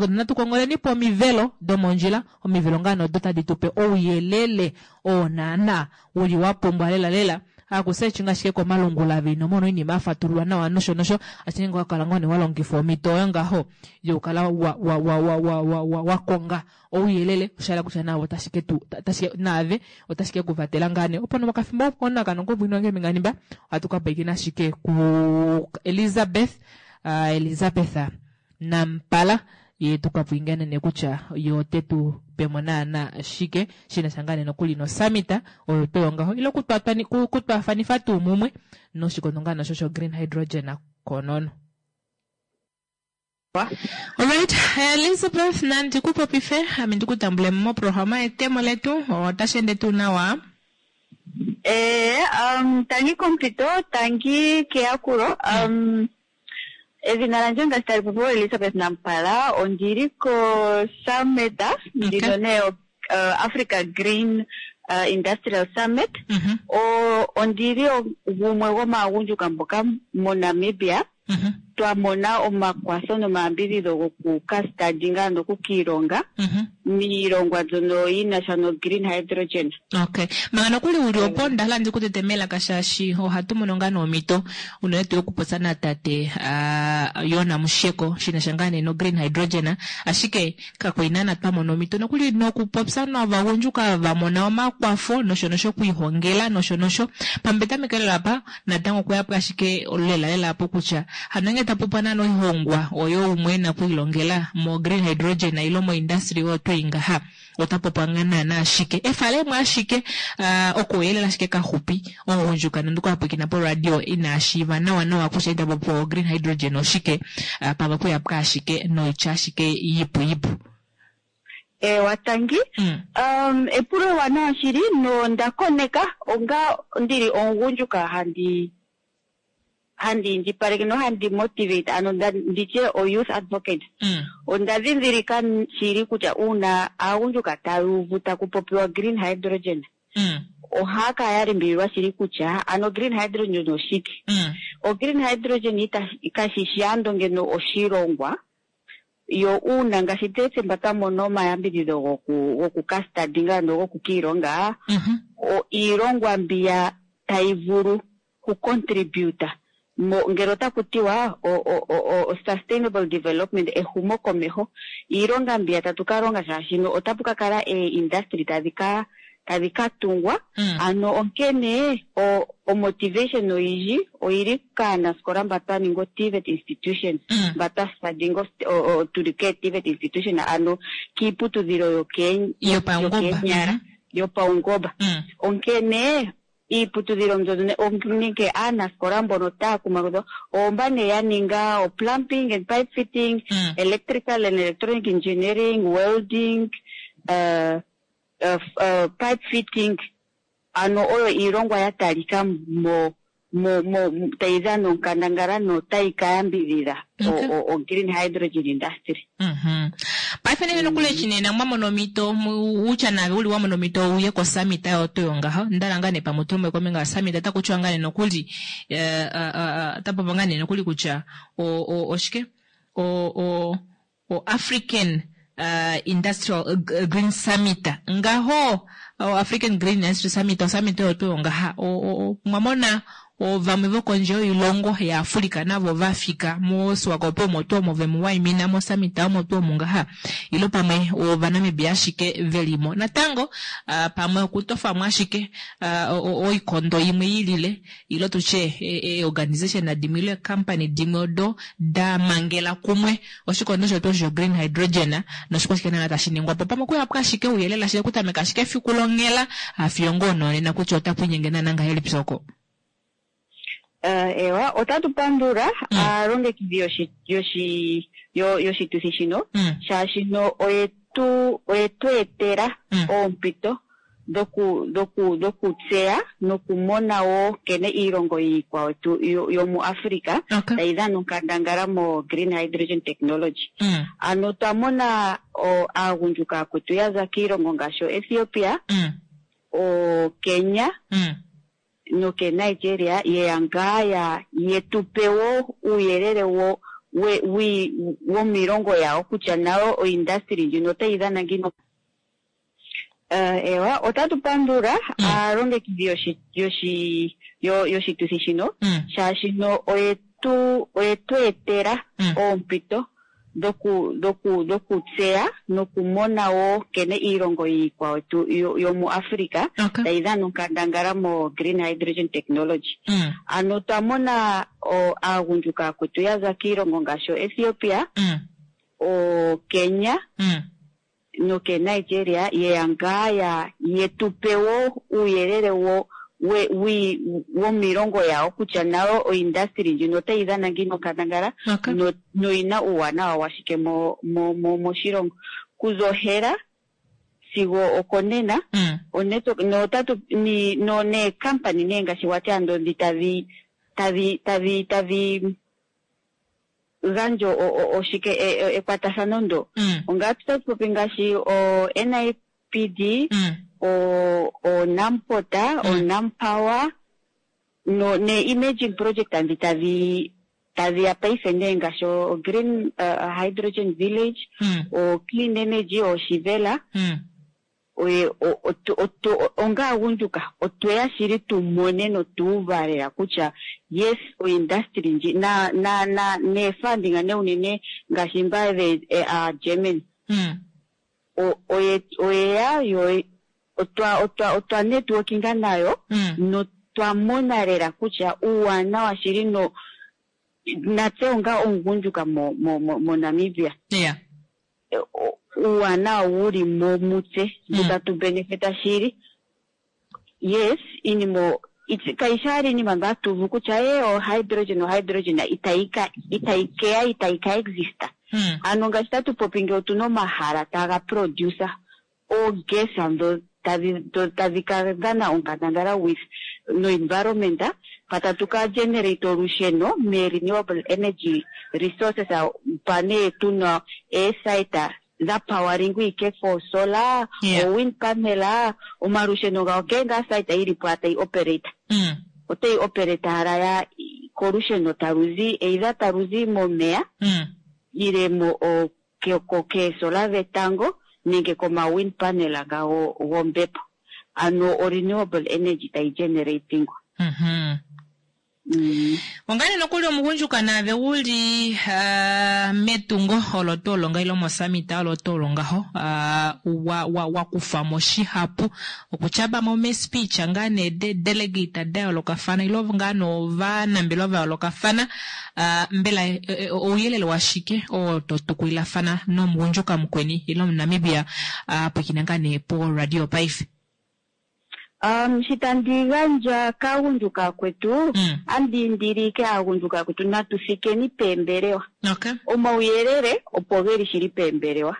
Natu kongoleni po omivelo domondjila, omivelo ngaa nee odo tadi tu pe ouyelele oo naana uli wa pumbwa lela lela. Haku searchinga ashike komalungula ave ino mona oinima ya fatululwa nawa nosho nosho, ashike ngee owa kala ngoo nee wa longifa omhito oyo ngaho yokukala wa wa wa wa wa wa wa wa konga ouyelele, osha yela kutya naave otashi ke tu otashi ke naave otashi ke ku vatela ngaa nee. Opo nomokafimbo oko kano kobwinwa ngeembinga nhimba ohatu ka pwilikina ashike ku Elizabeth Elizabeth Nampala ye tu ka pwiingenene kutya ye ote tu pe mo naana shike shi na sha ngaa nee nokuli nosummit oyo tuu yongaho ile okutwaafanifa tuu mumwe noshikondo ngaa nasho sho green hydrogen konono. Alright, Elizabeth nandi ku popife ame ndi ku tambule moprograma yetemo letu otashi ende tuu nawa? Ee, um, tangi kompito, tangi keyakulo. Um, Edhina landje ngaashi tali popiwa Elizabeth Nampala, ondi li koSummit ndino nee Africa Green Industrial Summit. Ondi li gumwe gwomaagundjuka mboka moNamibia twa mona omakwatho nomayambidhidho goku ka studyinga ano oku ka ilonga miilongwa mbyono yi na sha no green hydrogen. Okay. Manga nokuli uli opo onda hala ndi ku tete melaka shaashi ohatu mono ngaa noompito unene tuu okupopya natate uh, Yona Musheko shi na sha ngaa nee no green hydrogen, ashike kakwali naana twa mona omhito nokuli nokupopya novagundjuka va mona omakwafo nosho nosho okwiihongela nosho nosho. Pamwe petameko lela apa natango okweya po ashike lela lela apo kutya hano ngee ta popwa naana oihongwa oyo umwe ena okwiilongela mo green hydrogen ile mo industry oyo twei ngaha ota popwa ngaa naana ashike efalemo ashike uh, okouyelele ashike kaxupi omugundjuka nande okwa pwiikina poradio ina shiiva nawa nawa kutya ita popiwa o green hydrogen oshike uh, pamwe okuya po ashike noitya ashike yipu yipu. Eewa tangi. Um, epulo ewanawa shili nonda koneka onga ndili omugundjuka handi handi indjipaleke nohandi motivate ano nditye o youth advocate. Onda ndhindhilika shili kutya uuna aagundjuka taya uvu taku popiwa green hydrogen ohaya kala ya limbililwa shili kutya ano green hydrogen oshike. O green hydrogen ita kashi shi ando ngeno oshilongwa Yo uuna ngaashi tse mba twa mona omayambidhidho goku goku ka studyinga ano goku ka ilonga, o iilongwa mbiya tayi vulu kucontributa mo ngele otaku tiwa o, o, o, o, sustainable development ehumokomeho iilonga mbiya tatu ka longa shaashino otapu ka kala eeindustry tadhi ka tadhi ka tungwa ano onkene o, o motivation oyindji oyili kaanaskola mba twa ninga o-TVET institution mba twa studyinga tuli kee-TVET institution ano kiiputudhilo Yopaungomba. yokeenyala yopaungomba onkene iiputudhilo mbyono nenge aanaskola mbono taya kumagidhwa oomba nee ya ninga o plumbing and pipe fitting electrical and electronic engineering welding pipe fitting ano oyo iilongwa ya talika mo mo mo tayi dhana onkandangala notayi ka yambidhidha o green hydrogen industry. Paife nee nokuli eshi nena mwa mona omhito utya naave uli wa mona omhito uye kosummit oyo tuu yongaho ndala ngaa nee pamwe utume kombinga yosummit otaku tiwa ngaa nee nokuli ota popi ngaa nee nokuli kutya oshike o o African Industrial Green Summit ngaho o African Green Industry Summit osummit oyo tuu yongaha mwa mona ovamwe vokondje yoilongo yaAfrika navo vafika moSwakopo omo tuu omo vemu waimina mosummit omo tuu omu ngaha ilo pamwe ovanamibia ashike velimo natango pamwe okutofamo ashike oikondo imwe ilile ilo tutye eeorganization dimwe ile eecompany dimwe odo da mangela kumwe oshikondo shetu osho green hydrogen noshikwashike naana tashi ningwa po pamwe okuyapo ashike ouyelele ashike okutameka ashike efiku longhela fiyo ngoo nonena kutya otaku inyenge naana ngahelipi oko. Ewa, otatu pandula aalongekidhi yoshi yoshi yoshituthi shino shaashino oyetu oyetu etela oompito dhoku dhoku dhokutseya nokumona wo nkene iilongo iikwawo yomuAfrica tayi dhana onkandangala mo green hydrogen technology. Ano twa mona aagundjuka akwetu ya za kiilongo ngaashi oEthiopia, oKenya noke Nigeria yeya ngaa ya yetu pe wo uuyelele wo we wi womiilongo yawo kutya nayo oindustry ndjino otayi dhana ngiini. Ewa, otatu pandula aalongekidhi yoshi yoshi yoshituthi shino shaashino oyetu oyetu etela oompito dhoku dhoku dhokutseya nokumona wo nkene iilongo iikwawo yomuAfrica tayi dhana onkandangala mo green hydrogen technology. Ano twa mona aagundjuka akwetu ya za kiilongo ngaashi oEthiopia, oKenya noke Nigeria yeya ngaa ya yetu pe wo uuyelele wo we wi womiilongo yawo kutya nayo oindustry ndjino otayi dhana ngiini onkandangala noyina uuwanawa washike mo mo mo moshilongo kuza ohela sigo okonena. Notatu ni no neekampani nee ngaashi wati ando ndhi tadhi tadhi tadhi tadhi gandja oshike ekwatathano ndo ongaatu tatu popi ngaashi o NIPD, o Namport, o Nampower no ne emerging project ndhi tadhi tadhi ya paife nee ngaashi o Green Hydrogen Village, o Clean Energy, o Shivela. Oye onga aagundjuka otweya shili tu mone notuuva lela kutya yes, oindustry ndji na na na neefunding ne unene ngaashi mba German oye oyeya yo otwa otwa otwa networkinga nayo notwa mona lela kutya uuwanawa shili no natse onga omugundjuka mo mo mo moNamibia uuwanawa wuli mo mutse mbu tatu benefita shili. Yes, iinima kayishi owala iinima mba hatu uvu kutya e o hydrogen o hydrogen itayi ka itayi keya itayi ka exista. Ano ngaashi tatu popi nge otuna omahala taga produce oogesa ndho tadhi tadhi ka dhana onkandangala with no environment pa tatu ka generate olusheno me renewable energy resources pa nee tuna eesite dha powering ike for solar o wind panel omalusheno gawo kehe ngaa site yili po tayi operate otayi operate hala ya kolusheno talu zi either talu zi momeya ile mo keesola dhetango nenge koma wind panel gawo gombepo ano o renewable energy tayi generatingwa. Ongane nokuli omugundjuka naave uli uh, metungo olo tuu olo ngaho ile mosamita olo tuu olo ngaho uh, wa, wa, wa kufa mo shihapu okutyaba mo mespeech ngaa nee de delegate da yoolokafana ile ngaa novanambelewa va yoolokafana uh, mbela eh, eh, ouyelele washike oo to tukulilafana nomugundjuka mukweni ile omuNamibia a uh, pwiikina ngaa nee po radio paife? Um, shi tandi gandja kaagundjuka akwetu andi indile ike aagundjuka akwetu natu thikeni peembelewa. Okay. Omauyelele opo geli shili peembelewa.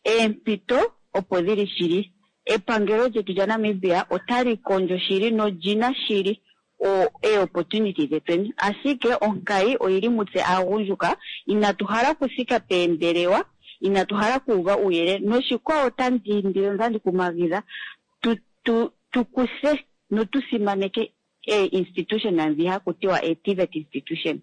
Eempito opo dhili shili. Epangelo lyetu lyaNamibia otali kondjo shili nolina shili o ee-opportunity dhetweni, ashike onkayi oyili mutse aagundjuka, inatu hala okuthika peembelewa, inatu hala okuuva uuyelele. Noshikwawo otandi indile notandi kumagidha tu tu tu kuthe notu simaneke ee-institution ndhi haku tiwa ee-TVET institution.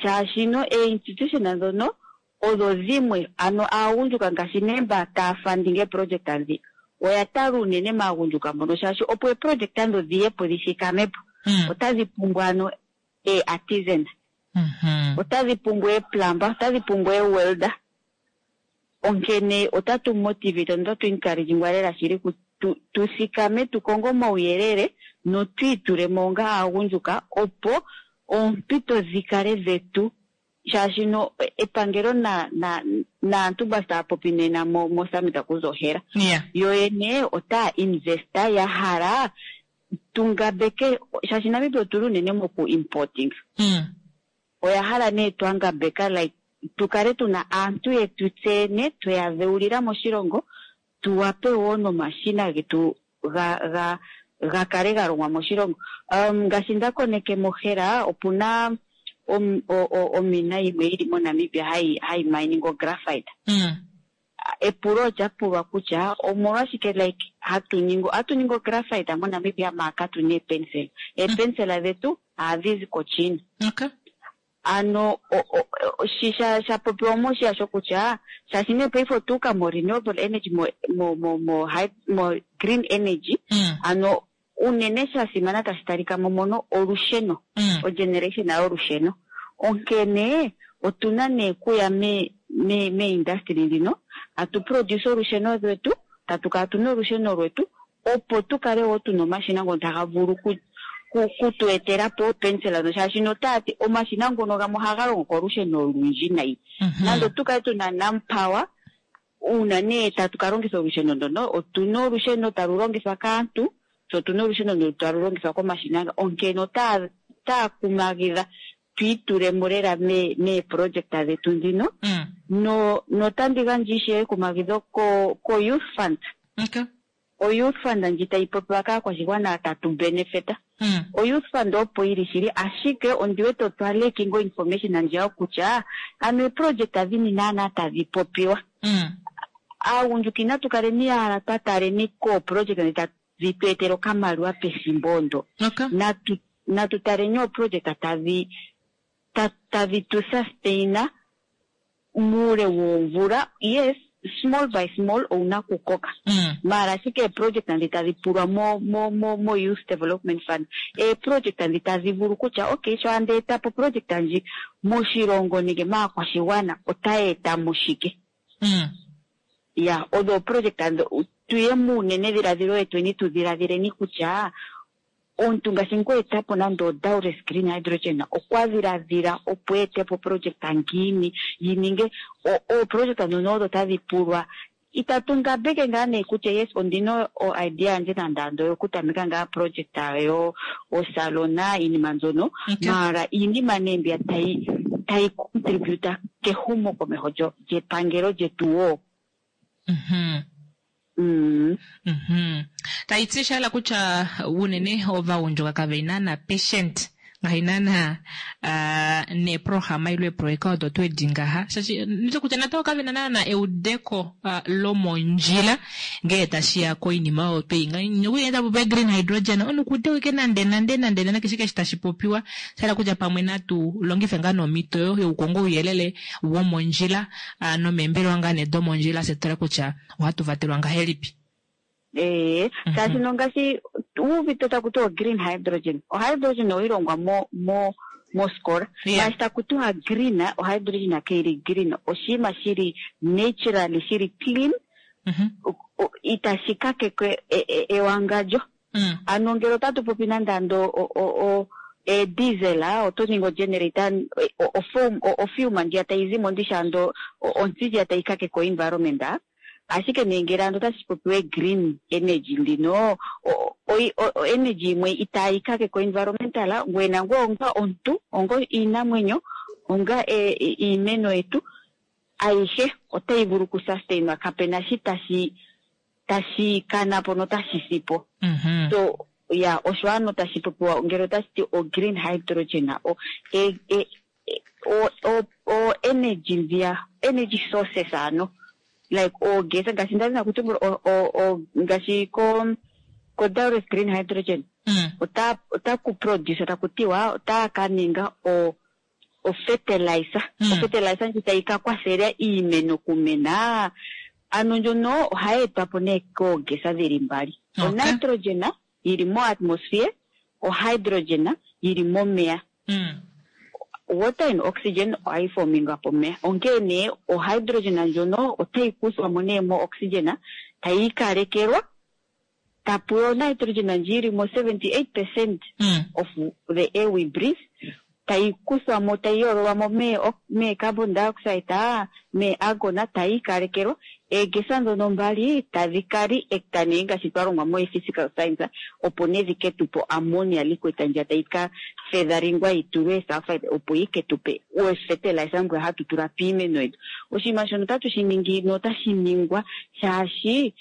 Shaashino ee-institution ndhono odho dhimwe ano aagundjuka ngaashi nee mba taya funding eeproject ndhi oya tala unene maagundjuka mbono shaashi opo eeproject ndho dhiye po dhi thikame po otadhi pumbwa ano ee-artisan, otadhi pumbwa eeplumber, otadhi pumbwa eewelder. Onkene otatu motivate notatu encouragingwa lela shili ku tu, tu thikame tu konge omauyelele notu itule mo onga aagundjuka opo oompito dhi kale dhetu shaashino epangelo na, na, naantu mba taya popi nena mo, mo summit okuza ohela Yeah. yo yene otaya investa ya hala tu ngambeke shaashi Namibia otuli unene moku importing. Oya hala nee twa ngambeka like tu kale tuna aantu yetu tseyene tweya dheulila moshilongo tu wape wo nomashina getu ga ga ga kale ga longwa moshilongo. Um ngaashi nda koneke mohela opuna om, o, o, omina yimwe yili moNamibia hayi hayi mining ographite. Epulo olya pulwa kutya omolwashike like hatu ningi ohatu ningi ographite moNamibia maar katu na eepensela. Eepensela dhetu ohadhi zi koChina. Okay. Ano shi sha sha popiwa mo oshiya shokutya shaashi nee paife otwa uka mo renewable energy mo mo mo mo mo green energy ano unene sha simana tashi talika mo mono olusheno o generation yolusheno onkene otuna nee kuya me me me industry ndhino atu produce olusheno lwetu tatu kala tuna olusheno lwetu opo tu kale wo tuna omashina ngono taga vulu ku ku ku tu etela po oopensela ndho shaashino otaya ti omashina ngono gamwe ohaga longo kolusheno olundji nayi. Nando otu kale tuna Nampower, uuna nee tatu ka longitha olusheno ndono, otuna olusheno talu longithwa kaantu, tse otuna olusheno ndono talu longithwa komashina nga, onkene otaya otaya kumagidha tu itulemo lela mee meeproject dhetu ndhino, no notandi gandja ishewe ekumagidho ko ko Youth Fund. Okay. O Youth Fund ndji tayi popiwa kaakwashigwana tatu benefita. O Youth Fund opo yili shili ashike ondi wete otwa lacking o information ndjiya kutya ano eeproject dhini naana tadhi popiwa. Aagundjuka inatu kaleni owala twa taleni kooproject ndhi tadhi tu etele okamaliwa pethimbo ndo. Natu natu taleni ooproject tadhi tadhi tu sustain muule woomvula, yes small by small owuna okukoka maala ashike eeproject ndhi tadhi pulwa mo mo mo mo youth development fund eeproject ndhi tadhi vulu kutya okay sho andi etapo oproject ndji moshilongo nenge maakwashigwana otayi etamo shike. Ya odho ooproject ndho tuye muunene dhiladhilo wetweni tu dhiladhileni kutya Omuntu ngaashi ngu etapo nande o Daures Green Hydrogen okwa dhiladhila opo eetepo oproject ngiini yi ninge ooproject ndhono odho tadhi pulwa. Itatu ngambeke ngaa nee kutya yes ondina o idea yandje nande ando oyo kutameka ngaa project yo osalona iinima mbyono maala iinima nee mbiya tayi tayi contribute kehumokomeho lyepangelo lyetu woo. Tayi ti sha hala kutya unene ovagundjuka kave naana patient ngaashi naana uh, neeprograma ile eeproyeka odo twedi ngaha shaashi nite kutya natango kave na naana eudeko uh, lomondjila ngee tashi ya koinima oyo twei nokuli ta popiwa green hydrogen onukude wike nande nande nande nande keshe keshe tashi popiwa sha hala kutya pamwe natu longife ngaa nomhito oyo yokukonga ouyelele womondjila uh, nomeembelewa ngaa nee domondjila fye tutale kutya ohatu vatelwa ngahelipi. Ee, shaashi nongaashi uuvite taku tiwa green hydrogen, ohydrogen oyi longwa mo mo mosikola ngaashi taku tiwa green, ohydrogen kayi green, oshinima shili naturally shili clean, itashi kakeke ewangandjo. Ano ngele otatu popi nande ando o diesel, oto ningi ogenerator, ofume ndjiya tayi zimo ndishi ando ontsi ndjiya tayi kakeke o-environment. Ashike nee ngele ando otashi popiwa green energy ndino o-energy yimwe itaayi kakeke o-environmental, ngoye nangoye onga omuntu, onga iinamwenyo, onga iimeno yetu ayihe otayi vulu okusustainwa, kapena shi tashi kana po notashi si po. So ya osho ano tashi popiwa ngele otashi ti o green hydrogen o e, e, o, o, o energy ndhiya energy sources ano like ogesa ngaashi nda dhina kutumbula o ngaashi ko Daures green hydrogen ota ku produce taku tiwa ota ka ninga o fertilizer, o fertilizer ndji tayi ka kwathela iimeno kumena. Ano ndjono ohayi etwa po nee koogesa dhili mbali, o nitrogen yili mo atmosphere, o hydrogen yili momeya. Water and oxygen ohayi fominga pomeya, onkene nee o hydrogen ndjono otayi kuthwa mo nee mo oxygen, tayi ikalekelwa, tapu yo nitrogen ndji yili mo 78% of the air we breathe, tayi kuthwa mo, tayi yoololwa mo mee carbon dioxide, mee argon, tayi ikalekelwa. Eegesa ndhono mbali tadhi ka reacta nee ngaashi twa longwa mo physical science, opo nee dhi ke tupe ammonia liquid ndjiya tayi ka featherlingwa yi tulwe sulfide, opo yi ke tupe fertilizer mbwe hatu tula piimeno yetu. Oshinima shono otatu shi ningi notashi ningwa shaashi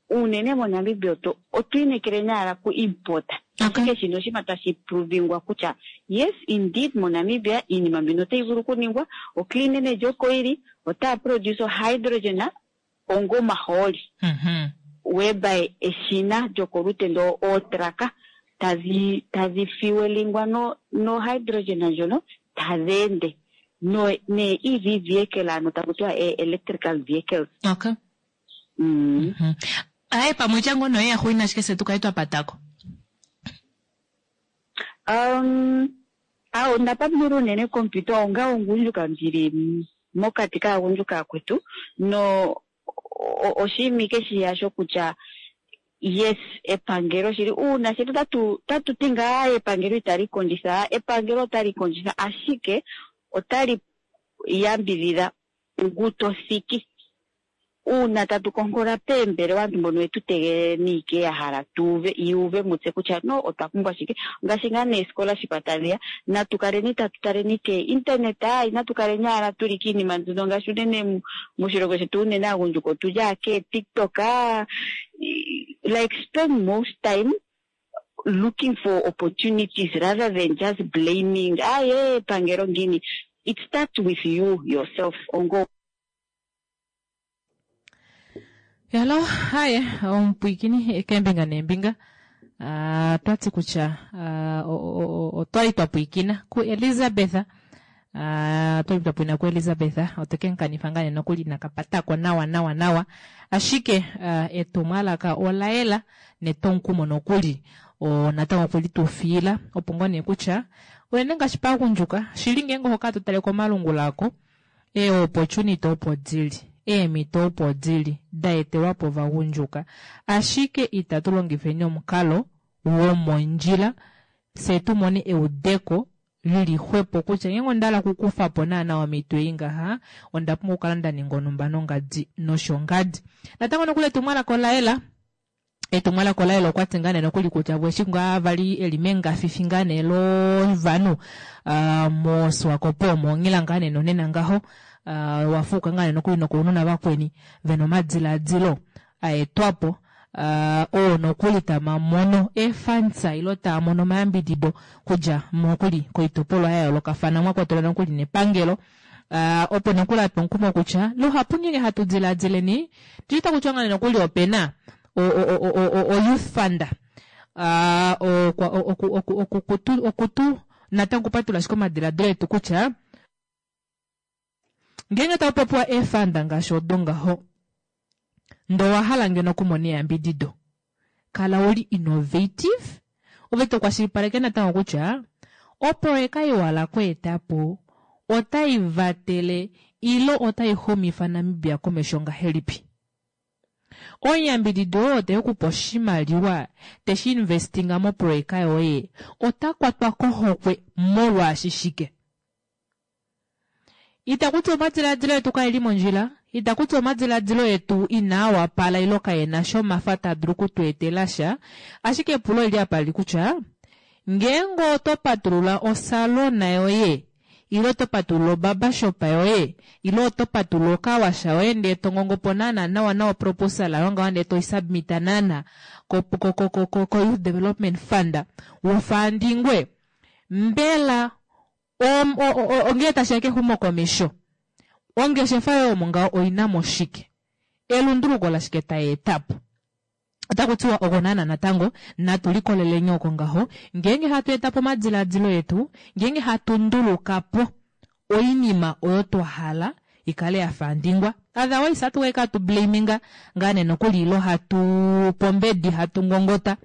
unene moNamibia otwi inekele naala ku import, ashike shino oshinima tashi provingwa kutya yes indeed moNamibia iinima mbino otayi vulu okuningwa. O clean energy oko yili, otaya produce hydrogen onga omahooli, whereby eshina lyokolutendo ootraka tadhi fuelingwa no hydrogen ndjono tadhi ende no nee EV vehicle, ano taku tiwa electrical vehicles. Aye, pamwe tya ngono ye yaxuina ashike se tukale twa patako. Awo onda patulula unene kompyuta onga omugundjuka ndili mokati kaagundjuka akwetu no oshinima ike shiya shokutya yes epangelo shili uuna shetu tatu ti ngaa epangelo itali kondjitha, epangelo otali kondjitha, ashike otali yambidhidha ngu to thiki. Uuna tatu konkola peembelewa, aantu mbono yetu tegelele niike ya hala tuuve yuuve mutse kutya no otwa pumbwa shike, ngaashi ngaa nee-scholarship tadhiya, natu kaleni tatu taleni ke internet, inatu kaleni owala tuli kiinima mbino ngaashi unene moshilongo shetu unene aagundjuka otuli ake TikTok, like spend most time looking for opportunities rather than just blaming aye epangelo ngiini. It starts with you yourself ongo Hello, haye omupwiikini keembinga neembinga. Twati kutya otwali twa pwiikina ku Elizabeth. Twali twa pwiikina ku Elizabeth, otwe nkanifa ngaa nee nokuli nakapatako nawa nawa nawa. Ashike etumwalaka ola yela netomukumo nokuli natango okuli tu fiila opo ngoo nee kutya unene ngaashi paagundjuka shili ngeenge oho kala to tale komalungula ako, ee-opportunity opo dili, eemhito opo dili da etelwa po ovagundjuka, ashike itatu longifeni omukalo womondjila fye tu mone eudeko lili xwepo kutya ngeenge onda hala okukufa po naana omhito ei ngaha onda pumbwa okukala nda ninga onhumba nongadi noshongadi. Natango nokuli etumwalaka ola yela, etumwalaka ola yela, okwa ti ngaa nee nokuli kutya eshi ngaa vali eli mengafifi ngaa nee lovanhu moSwakopo omo ngila ngaa nee nonena ngaho, wafuuka ngaa nee nokuli nokounona vakweni vena omadiladilo aetwapo, oo nokuli tamamono efansa ilo taamono omayambidido kudja nokuli koitopolwa ya yoolokafana mwakwatelwa nokuli nepangelo, opo nokuli atwa omukumo kutya luhapu ngeenge hatu diladileni tushita kutya ngaa nee nokuli opena o youth fund, okutu natango kupatula ashike omadiladilo etu kutya ngeenge taku popiwa eefanda ngaashi odo ngaho, ndee owa hala ngeno okumona eyambidido. Kala uli innovative, ove to kwashilipaleke natango kutya oproyeka ei wa hala okweeta po otai vatele ile otai xumifa Namibia komesho ngahelipi. Omuyambididi oo te ku pe oshimaliwa te shi investinga moproyeka yoye ota kwatwa kohokwe molwaashi shike? Itaku ti omadilaadilo etu kae li mondjila, itaku ti omadilaadilo etu inaa wapala ilo kae na sha omafa taa dulu oku tu etela sha, ashike epulo oli li apa lili kutya, ngeenge oto patulula osalona yoye ile oto patulula obarbershop yoye ile oto patulula okawasha yoye ndee to ngongo po naana nawa nawa oproposal yoye ngaho ndee toi submita naana ko, ko, ko, ko, ko, ko Youth Development Fund, wofaandingwe, mbela Ongee tashi ya kexumokomesho, ongeshefa yoye omo ngaho oi na mo shike? Elunduluko lashike tai eta po? Otaku tiwa oko naana natango, natu likoleleni oko ngaho, ngeenge hatu eta po omadiladilo etu, ngeenge hatu nduluka po oinima oyo twa hala i kale ya faandingwa. Otherwise, hatu ka hatu blaminga ngaa nee nokuli ilo hatu pombedi hatu ngongota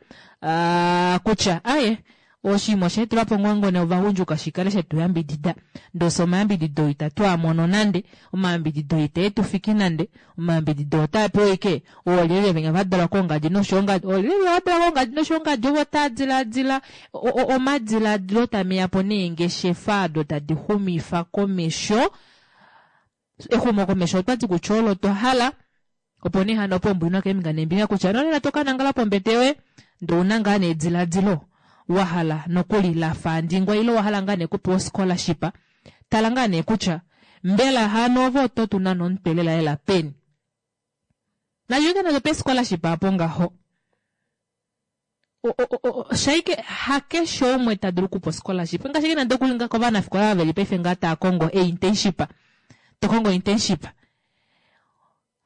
kutya aye Oshinima osha etelwa po ngoo nee ovagundjuka shi kale she tu yambidida. Ndele fye omayambidido itatu a mono nande, omayambidido itae tu fiki nande, omayambidido otaa pewa ashike oolyelye venya va dalwa koongadi noshoongadi, oolyelye va dalwa koongadi noshoongadi ovo taa diladila omadiladilo tame ya po neengeshefa ado tadi xumifa komesho Exumokomesho otwa ti kutya olo twa hala. Opo nee hano opo ombwinwa keembinga neembinga kutya nonena to ka nangala pombete yoye ndee ouna ngaa nee ediladilo wa hala nokuli la faandingwa ile owa hala ngaa nee okupewa oscholarship, tala ngaa nee kutya mbela hano ove oto tu nane omutwe lela lela peni. Nashike nande pe scholarship apo ngaho. Shaike hakeshe umwe ta dulu okupa scholarship ngaashi nande okuli nga kovanafikola veli paife ngaa taa kongo e-internship to kongo internship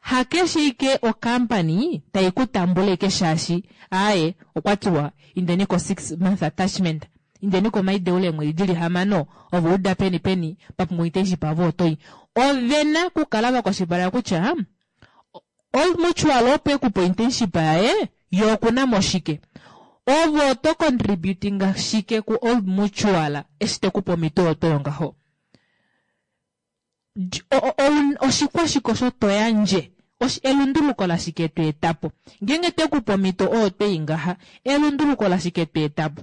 hakeshe ike ocompany tai ku tambula ike shaashi aaye okwa tiwa indeni ko 6 month attachment indeni komaideulo eemwedi dili hamano ove uda peni peni pa pumbwa internship avo otoyi ovena okukala vakwashilipaleka kutya Old Mutual opo e ku pe internship yaye, ye oku na mo shike? Ove oto contributinga shike ku Old Mutual eshi te ku pe omhito oyo to yongaho? Oshikwashike osho to yandje? Elunduluko lashike to eta po? Ngeenge te ku pe omhito oyo to i ngaha, elunduluko lashike to eta po?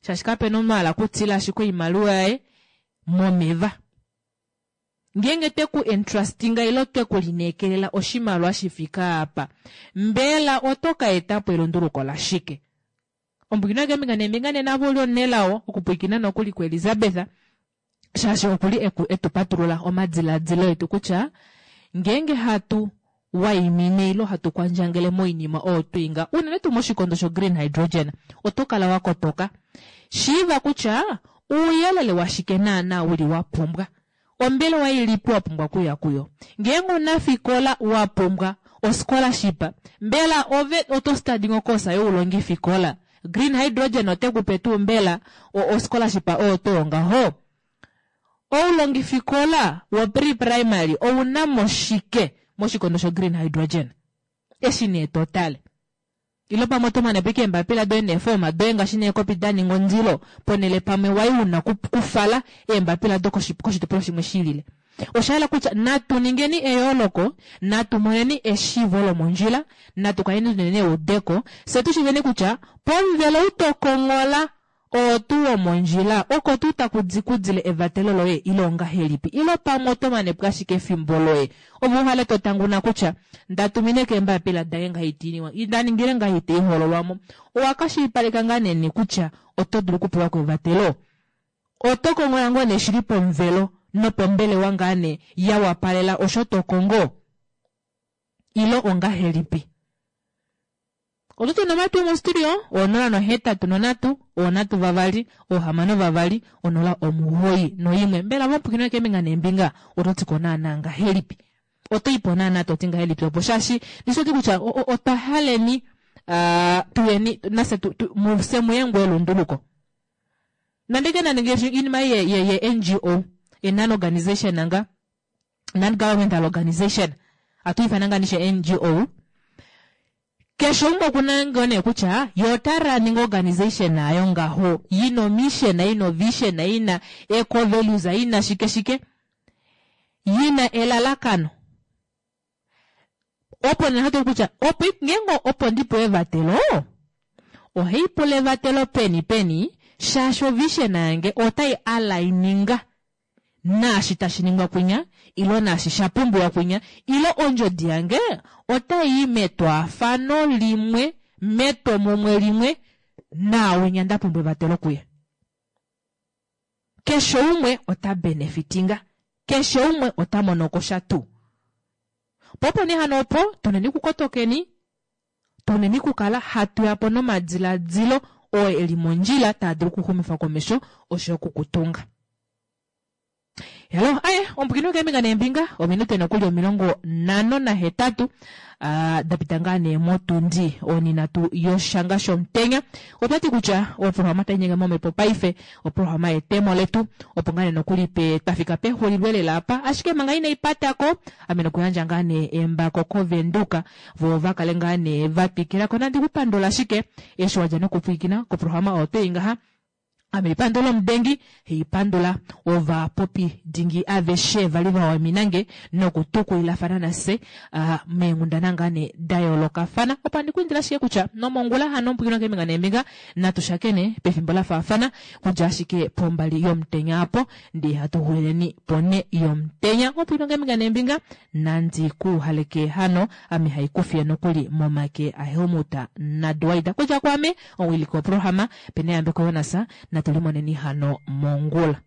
Shaashi kape na omunhu a hala okutila ashike oimaliwa yaye momeva. Ngeenge twe ku entrustinga ile twe ku lineekelela oshimaliwa shi fike apa, mbela oto ka eta po elunduluko lashike? Ombwina keembinga neembinga nena ove u li omunelao okupwilikina nokuli kuElizabeth, shaashi oku li e tu patulula omadiladilo etu kutya ngeenge hatu waimine ile hatu kwandjangele moinima oyo twa inga, unene tuu moshikondo shogreen hydrogen, oto kala wa kotoka. Shiiva kutya ouyelele washike naanaa u li wa pumbwa. Ombelewa ilipi wa pumbwa okuya kuyo? Ngeenge omunafikola wa pumbwa oscholarship, mbela ove oto study okosa youlongifikola? Green hydrogen ote ku pe tuu mbela oscholarship oyo to ngaho? Oulongifikola wo pre-primary ou na mo shike moshikondo sho green hydrogen? Eshi nee to tale. Ile pamwe oto mane po ike eembapila doye neefooma doye ngaashi neekopi da ninga ondilo ponhele pamwe wai una kufala eembapila do koshitopolwa shimwe shi lile. Osha hala kutya natu ningeni eyooloko, natu moneni eshiivo lomondjila, natu kaleni tu neni eudeko, fye tu shiiveni kutya pomuvelo ou to konghola Oo tuu womondjila, oko tuu taku di ku dile evatelo loye, ile ongahelipi? Ile pamwe oto mane po ashike efimbo loye? Ove u hale to tanguna kutya, Nda tumine ko eembapila dange ngaha ita i niwa, nda ningile ngaha ita i hololwa mo. Owa ka shilipaleka ngaa nee kutya oto dulu okupewa ko evatelo? Oto kongola ngoo nee shili pomuvelo nopombelewa ngaa nee ya wapalela osho to kongo? Ile ongahelipi? Oto tu nomatwi mostudio 083 3 6 2 09 1. Mbela vamupwikinwa keembinga neembinga oto ti ko naanaa ngahelipi? Oto i po naanaa to ti ngahelipi opo shaashi ndishi oti kutya otwa haleni uh, tuyeni nase tu, tu, mufye muye ngoo elunduluko. Nande ke nande ngaashi iinima ye, ye, ye NGO, ye non-organization nga non-governmental organization, atu ifana ngaa nishe NGO. Keshe umwe okuna ngoo nee kutya ye ota running organization ayo ngaho yina omission yina ovision yina eco values yina shike shike yina elalakano opo nee hatu kutya opo ngeenge opo ndi pewe evatelo ohai pula evatelo peni peni shaashi ovision yange otai aligninga naashi tashi ningwa kwinya ilo naashi sha pumbiwa kwinya ilo ondjodi yange otai i metwaafano limwe metwomumwe limwe naawinya nda pumbwa evatelo kuye. Keshe umwe ota benefitinga, keshe umwe ota mono ko sha tuu. Po opo nee hano opo tuneni kukotokeni, tuneni kukala hatu ya po nomadiladilo oo e li mondjila taa dulu okuxumifa komesho osho yo okukutunga. Hello, aye, ombukini okeembinga neembinga, ominute nokuli 58 ah, da pita ngaa nee motundi oninatu yoshanga shomutenya. Otwa ti kutya oprograma tai nyenge momhepo paife, oprograma yetemo letu, opo ngaa nee nokuli pe twa fika pexulilo elela apa, ashike manga inai pata ko, ame nokuyandja ngaa nee embako kOvenduka, vo va kale ngaa nee va twikila ko. Nandi ku pandula ashike eshi wa dja nokupwilikina koprograma oyo twei ngaha. Ame ipandula omudengi, haipandula ovapopi dingi aveshe vali va waimina nge nokutukulilafana nafye uh, meenghundana ngaa nee da yoolokafana. Opo andi ku indila ashike kutya nomongula hano omupwikinwa keembinga neembinga natu shakene pefimbo la faafana kudja ashike pombali yomutenya apo ndee hatu xulileni ponhe yomutenya. Omupwikinwa keembinga neembinga Nandi ku haleke hano, ame haikufiye nokuli momake aHelmut naDwight. Kudja kwaame, omuwiliki woprograma, Peneyambeko Jonas, natu limoneni hano mongula.